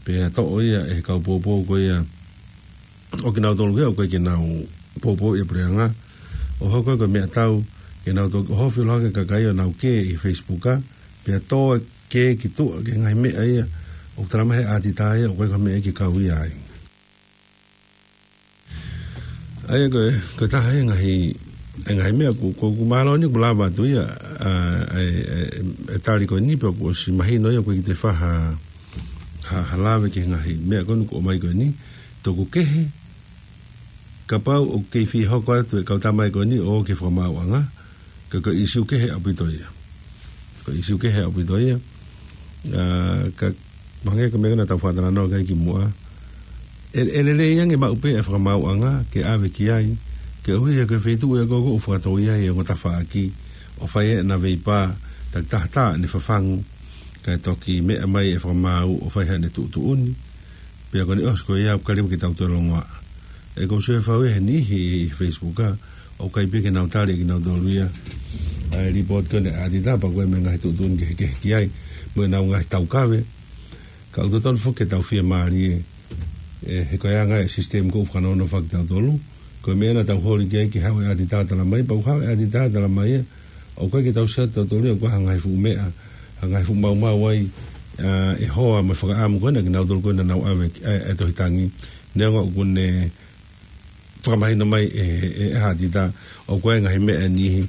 pea toʻo ia ʻe he kau poupou ko ia, ʻo kinautolu ko ia, ʻoku ʻikai ke nau poupou ʻi he puleʻanga, ʻo hoko ko e meʻatau, ke nau toki ʻohofi holo hake e kakai ʻo nau kē ʻi he Facebook, pea tō e kē ki tuʻa ki he ngaahi meʻa ia, ʻoku talamai ʻe he ʻatita ia, ʻoku ʻikai ko ha meʻa ia ke kau ia ai. ʻA ia ko e, ko e taha e ngaahi, e ngaahi meʻa ʻoku, ʻoku, ʻoku mālō eni ʻoku lava atu ia, ʻa, ʻa e, ʻa e, ʻa e tali ko eni pea kuo ʻosi mahino ia ʻoku ʻikai ke toe fai ha, ha, ha lave ki he ngaahi meʻa ko eni ʻoku ʻomai ko eni, tuku kehe, kapau ʻoku kei fie hoko atu e kau tama ko eni ʻo ō ki he fakamaauʻanga, ka ko e ʻīsiu kehe ʻaupito ia. Ko e ʻīsiu kehe ʻaupito ia. ʻA, ka, hangē ko e meʻa naʻa tau faʻa talanoa ki ai kimuʻa. ʻE, ʻe lelei ange maʻu pē e fakamaauʻanga ke ʻave ki ai. Koeʻuhi he ko e feituʻu ia ko ē ʻoku fakatō ai e ongo tafaʻaki. ʻO fai ʻena veipā, takitaha tā ʻene fafangu. Kae toki meʻa mai e fakamaau ʻo fai haʻane tuʻutuʻuni. Pea ko eni ʻosi ko ia ʻoku ʻikai leva ke tau toe longoaʻa. ʻE ʻoku ou sio he fau ia he niʻihi ʻi he Facebook, ʻoku ʻikai pē ke nau tali ʻekinautolu ia ʻa e lipooti ko eni ʻa e ʻatita pea ko e meʻa ngaahi tuʻutuʻuni kehekehe ki ai, mo ʻenau ngaahi taukave. Ka ʻoku totonu foki ke tau fiemālie, ʻe, he ko e anga e system ʻoku fakanonofo kitautolu. Ko e meʻa naʻa tau holi ki ai ke haʻu e ʻatita ʻo talamai, pea ʻoku haʻu e ʻatita ʻo talamai ia, ʻoku ʻikai ke tau sio atu tautolu ia, ʻoku ʻi ai ha ngaahi fuʻu meʻa, ha ngaahi fuʻu maumau ai, ʻa, ʻe hoa mo e fakaʻamu ko ena kinautolu ko ena naʻa nau ʻave, ʻa, e tohi tangi. Neongo ʻoku ne fakamahino mai ʻe, ʻe, ʻe he ʻatita, ʻoku ʻi ai e ngaahi meʻa ʻe niʻihi,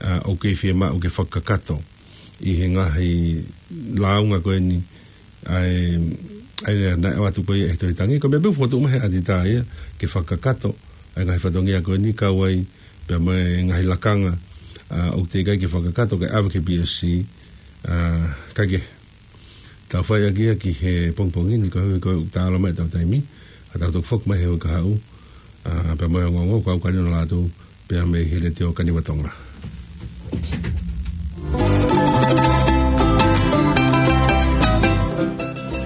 ʻa, ʻoku kei fiemaʻu ke fakakakato ʻi he ngaahi lāunga ko eni, ʻa e, ʻa e naʻe ʻoatu ko ia ʻe he Tohi Tangi. Ko e meʻa pē ʻoku fokotuʻu mai he ʻatitā ia ke fakakakato ʻa e ngaahi fatongia ko eni, kau ai pea mo e ngaahi lakanga, ʻa, ʻoku teʻeki ai ke fakakakato ke ʻave ki he P S C, ʻa, kae kehe, tau fai ʻaki ia ki he pongipongi ni, ko e, ko e taʻalo mai ʻetau taimi, ʻa tau toki foki mai he uike kahaʻu, ʻa, pea mo e ongoongo, ko au Kalino Lātū, pea mei he Letiō Kaniva Tonga.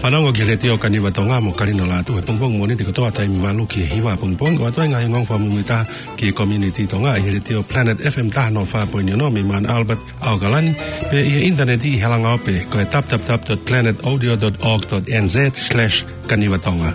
Fanongo ki he Letiō Kaniva Tonga mo Kalino Lātū he pongipongi Mōnite kotoa taimi valu ki he hiva pongipongi, ʻoatu ai e ngaahi ongoongo fakamuimuitaha ki he community Tonga ʻi he Letiō Planet F M taha noa fā poini ono mei Mount Albert, ʻAokalani, pea ʻi he ʻinitaneti ʻi he langaope ko e w w w dot planet audio dot org dot n z slash kaniva tonga.